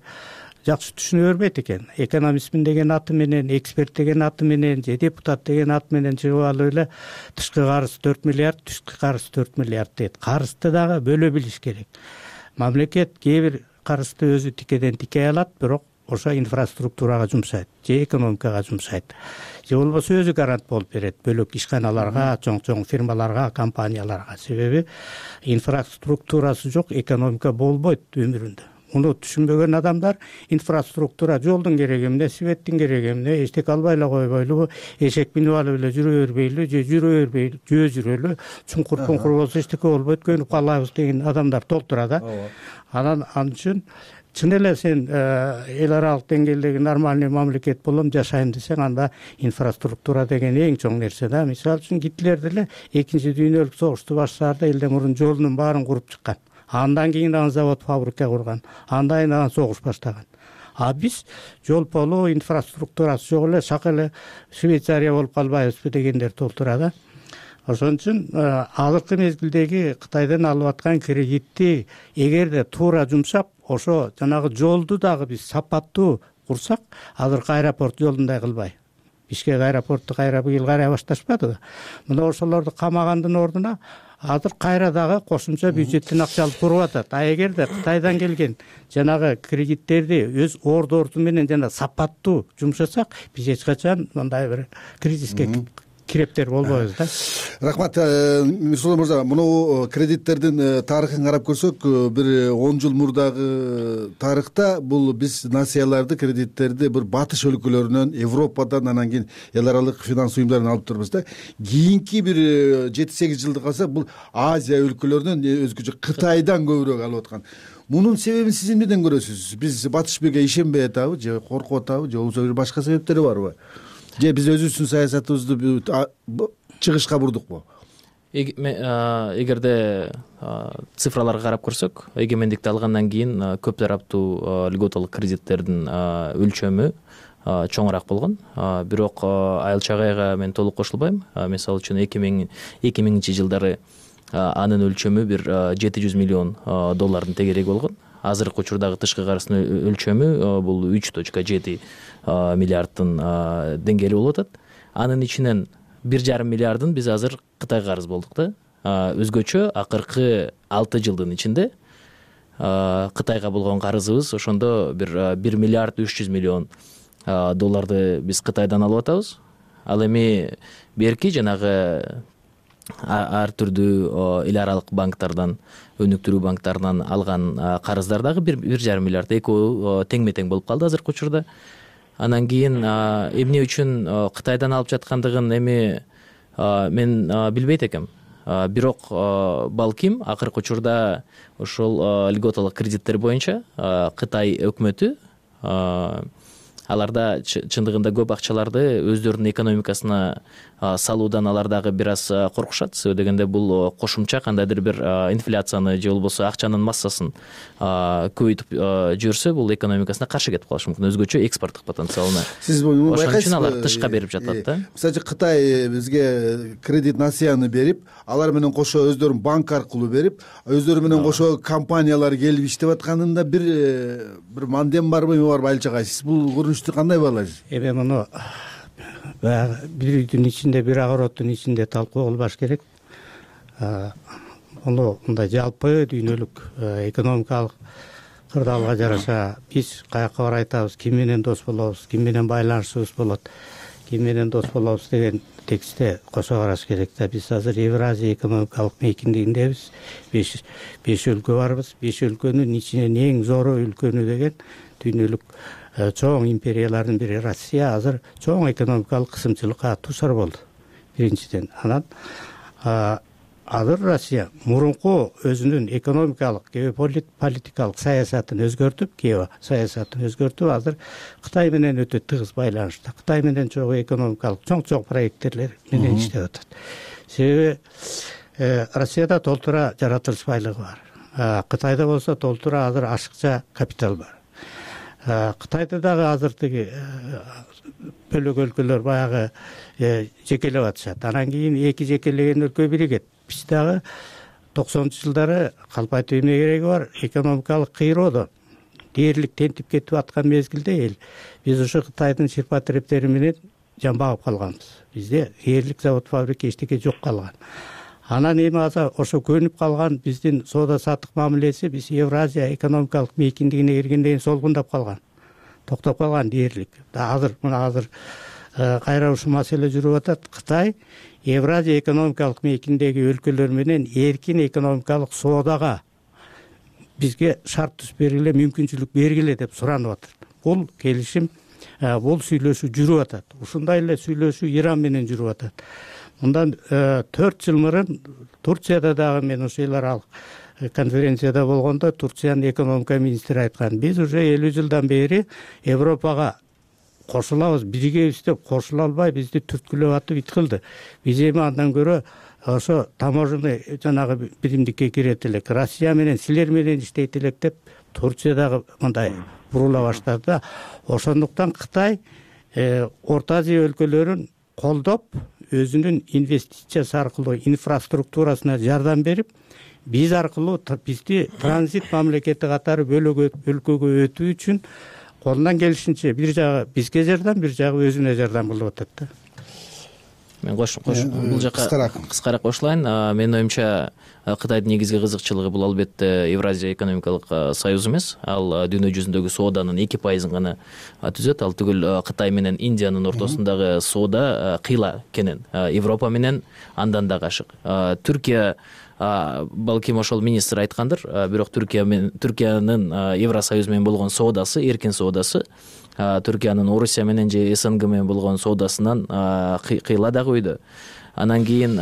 жакшы түшүнө бербейт экен. Экономистмин деген аты менен, эксперт деген аты менен же депутат деген ат менен чыгып алып эле тышкы карыз төрт миллиард, түшкү карыз төрт миллиард дейт. Карызды дагы бөлө билиш керек. Мамлекет кээ бир карызды өзү тикеден тикей алат, бирок ошо инфраструктурага жумшайт, же экономикага жумшайт. Же болбосо өзү гарант болуп берет бөлөк ишканаларга, чоң-чоң фирмаларга, компанияларга. Себеби инфраструктурасы жок экономика болбойт өмүрүндө. Муну түшүнбөгөн адамдар инфраструктура, жолдун кереги эмне, светтин кереги эмне, эчтеке албай эле койбойлубу, эшек минип алып эле жүрө бербейлү, же жүрө бербейлү, жөө жүрөлү, чуңкур пуңкур болсо эчтеке болбойт, көнүп калабыз деген адамдар толтура да. Анан ал үчүн чын эле сен эл аралык деңгээлдеги нормальный мамлекет болом, жашайм десең, анда инфраструктура деген эң чоң нерсе да. Мисалы үчүн Гитлер деле экинчи дүйнөлүк согушту баштаарда элден мурун жолунун баарын куруп чыккан. Андан кийин аны завод, фабрика курган. Андан кийин аны согуш баштаган. А биз жол полу инфраструктурасы жок эле, шак эле Швейцария болуп калбайбызбы дегендер толтура да. Ошон үчүн азыркы мезгилдеги Кытайдан алып аткан кредитти эгерде туура жумшап, ошо жанагы жолду дагы биз сапаттуу курсак, азыркы аэропорт жолундай кылбай, Бишкек аэропорту кайра быйыл карай башташпадыбы? Мына ошолорду камагандын ордуна азыр кайра дагы кошумча бюджеттен акча алып туруп атат. А эгерде Кытайдан келген жанагы кредиттерди өз ордорду менен жана сапаттуу жумшасак, биз эч качан мындай бир кризиске кирептер болбойбуз да. Рахмат Мирсултан мырза. Мына кредиттердин тарыхын карап көрсөк, бир он жыл мурдагы тарыхта бул биз насыяларды, кредиттерди бир батыш өлкөлөрүнөн, Европадан, анан кийин эл аралык финанс уюмдарынан алып турбуз да. Кийинки бир жети сегиз жылды калсак, бул Азия өлкөлөрүнөн, өзгөчө Кытайдан көбүрөөк алып аткан. Мунун себебин сиз эмнеден көрөсүз? Биз батыш бирге ишенбей атабы, же коркуп атабы, же болбосо бир башка себептери барбы? Же биз өзүбүздүн саясатыбызды чыгышка бурдукпу? Эгерде цифраларга карап көрсөк, эгемендикти алгандан кийин көп тараптуу льготалык кредиттердин өлчөмү чоңураак болгон. Бирок Айыл Чагайга мен толук кошулбайм. Мисалы үчүн эки миңинчи жылдары анын өлчөмү бир жети жүз миллион доллардын тегереги болгон. Азыркы учурдагы тышкы карыздын өлчөмү бул үч точка жети миллиарддын деңгээли болуп атат. Анын ичинен бир жарым миллиардын биз азыр Кытайга карыз болдук да. Өзгөчө акыркы алты жылдын ичинде Кытайга болгон карызыбыз ошондо бир бир миллиард үч жүз миллион долларды биз Кытайдан алып атабыз. Ал эми берки жанагы ар түрдүү эл аралык банктардан, өнүктүрүү банктарынан алган карыздар дагы бир жарым миллиард, экөө теңме тең болуп калды азыркы учурда. Анан кийин эмне үчүн Кытайдан алып жаткандыгын эми мен билбейт экем. Бирок балким акыркы учурда ошол льготалык кредиттер боюнча Кытай өкмөтү аларда чындыгында көп акчаларды өздөрүнүн экономикасына салуудан алар дагы бир аз коркушат. Себеби дегенде бул кошумча кандайдыр бир инфляцияны же болбосо акчанын массасын көбөйтүп жүрсө, бул экономикасына каршы кетип калышы мүмкүн, өзгөчө экспорттук потенциалына. Сиз ошон үчүн алар тышка берип жатат да. Мисалы Кытай бизге кредит насыяны берип, алар менен кошо өздөрүнүн банк аркылуу берип, өздөрү менен кошо компаниялар келип иштеп атканында бир бир мандем барбы, эме барбы Айыл Чагай? Сиз бул көрүнүштү кандай баалайсыз? Эми муну баягы бир үйдүн ичинде, бир огороддун ичинде талкуу кылбаш керек. Муну мындай жалпы дүйнөлүк экономикалык кырдаалга жараша биз каяка барып айтабыз, ким менен дос болобуз, ким менен байланышыбыз болот, ким менен дос болобуз деген текстте кошо караш керек да. Биз азыр Евразия экономикалык мейкиндигиндебиз. беш өлкө барбыз. беш өлкөнүн ичинен эң зору өлкөнү деген дүйнөлүк чоң империялардын бири Россия азыр чоң экономикалык кысымчылыкка туушар болду. Биринчиден, анан азыр Россия мурунку өзүнүн экономикалык, геополитикалык саясатын өзгөртүп, гео саясатын өзгөртүп, азыр Кытай менен өтө тыгыз байланышта. Кытай менен чогуу экономикалык чоң-чоң проекттер менен иштеп атат. Себеби Россияда толтура жаратылыш байлыгы бар. Кытайда болсо толтура азыр ашыкча капитал бар. Кытайда дагы азыр тиги бөлөк өлкөлөр баягы жекелеп атышат. Анан кийин эки жекелеген өлкө биригет. Биз дагы токсонунчу жылдары калп айтып эмне кереги бар? Экономикалык кыйроодо дээрлик тентип кетип аткан мезгилде эл биз ошо Кытайдын шырпа тирептери менен жамбагып калганбыз. Бизде дээрлик завод, фабрика эчтеке жок калган. Анан эми азыр ошо көнүп калган биздин соода саттык мамилеси биз Евразия экономикалык мейкиндигине киргенден кийин солгундап калган. Токтоп калган дээрлик. Да азыр мына азыр кайра ушул маселе жүрүп атат. Кытай Евразия экономикалык мейкиндеги өлкөлөр менен эркин экономикалык соодага бизге шарт түзүп бергиле, мүмкүнчүлүк бергиле деп суранып атат. Бул келишим, бул сүйлөшүү жүрүп атат. Ушундай эле сүйлөшүү Иран менен жүрүп атат. Мындан төрт жыл мурун Турцияда дагы мен ошо эл аралык конференцияда болгондо Турциянын экономика министри айткан, биз уже элүү жылдан бери Европага кошулабыз, биригебиз деп кошула албай бизди түрткүлөп атып ит кылды. Биз эми андан көрө ошо таможенный жанагы биримдикке кирет элек, Россия менен силер менен иштейт элек деп Турция дагы мындай бурула баштады да. Ошондуктан Кытай Орто Азия өлкөлөрүн колдоп, өзүнүн инвестициясы аркылуу инфраструктурасына жардам берип, биз аркылуу бизди транзит мамлекети катары бөлөк өлкөгө өтүү үчүн колунан келишинче бир жагы бизге жардам, бир жагы өзүнө жардам кылып атат да. Мен кош бул жака кыскараак кошулайын. Менин оюмча Кытайдын негизги кызыкчылыгы бул албетте Евразия экономикалык союз эмес. Ал дүйнө жүзүндөгү сооданын эки пайызын гана түзөт. Ал түгүл Кытай менен Индиянын ортосундагы соода кыйла экенин, Европа менен андан да ашык. Түркия балким ошол министр айткандыр, бирок Түркия менен Түркиянын Евросоюз менен болгон соодасы, эркин соодасы Түркиянын Орусия менен же СНГ менен болгон соодасынан кыйла дагы өйдө. Анан кийин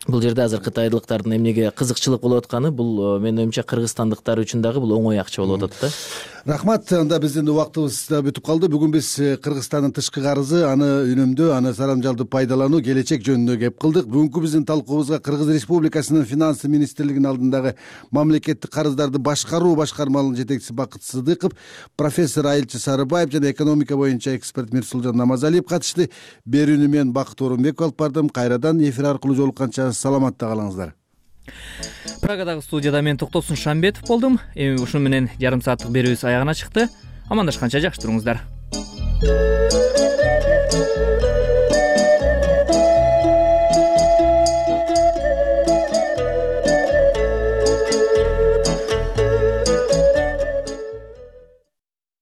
бул жерде азыр кытайлыктардын эмнеге кызыкчылык болуп атканы, бул менин оюмча кыргызстандыктар үчүн дагы бул оңой акча болуп атат да. Рахмат. Анда биздин убактыбыз да бүтүп калды. Бүгүн биз Кыргызстандын тышкы карызы, аны үнөмдөө, аны сарамжалдуу пайдалануу, келечек жөнүндө кеп кылдык. Бүгүнкү биздин талкуубузга Кыргыз Республикасынын финанс министрлигинин алдындагы мамлекеттик карыздарды башкаруу башкармалынын жетекчиси Бакыт Сыдыков, профессор Айылчы Сарыбаев жана экономика боюнча эксперт Мирсулжан Намазалиев катышты. Берүүнү мен Бакыт Орунбеков алып бардым. Кайрадан эфир аркылуу жолукканча саламатта калыңыздар. Прагадагы студияда мен Токтосун Шамбетов болдум. Эми ушуну менен жарым сааттык берүүбүз аягына чыкты. Амандашканча жакшы туруңуздар.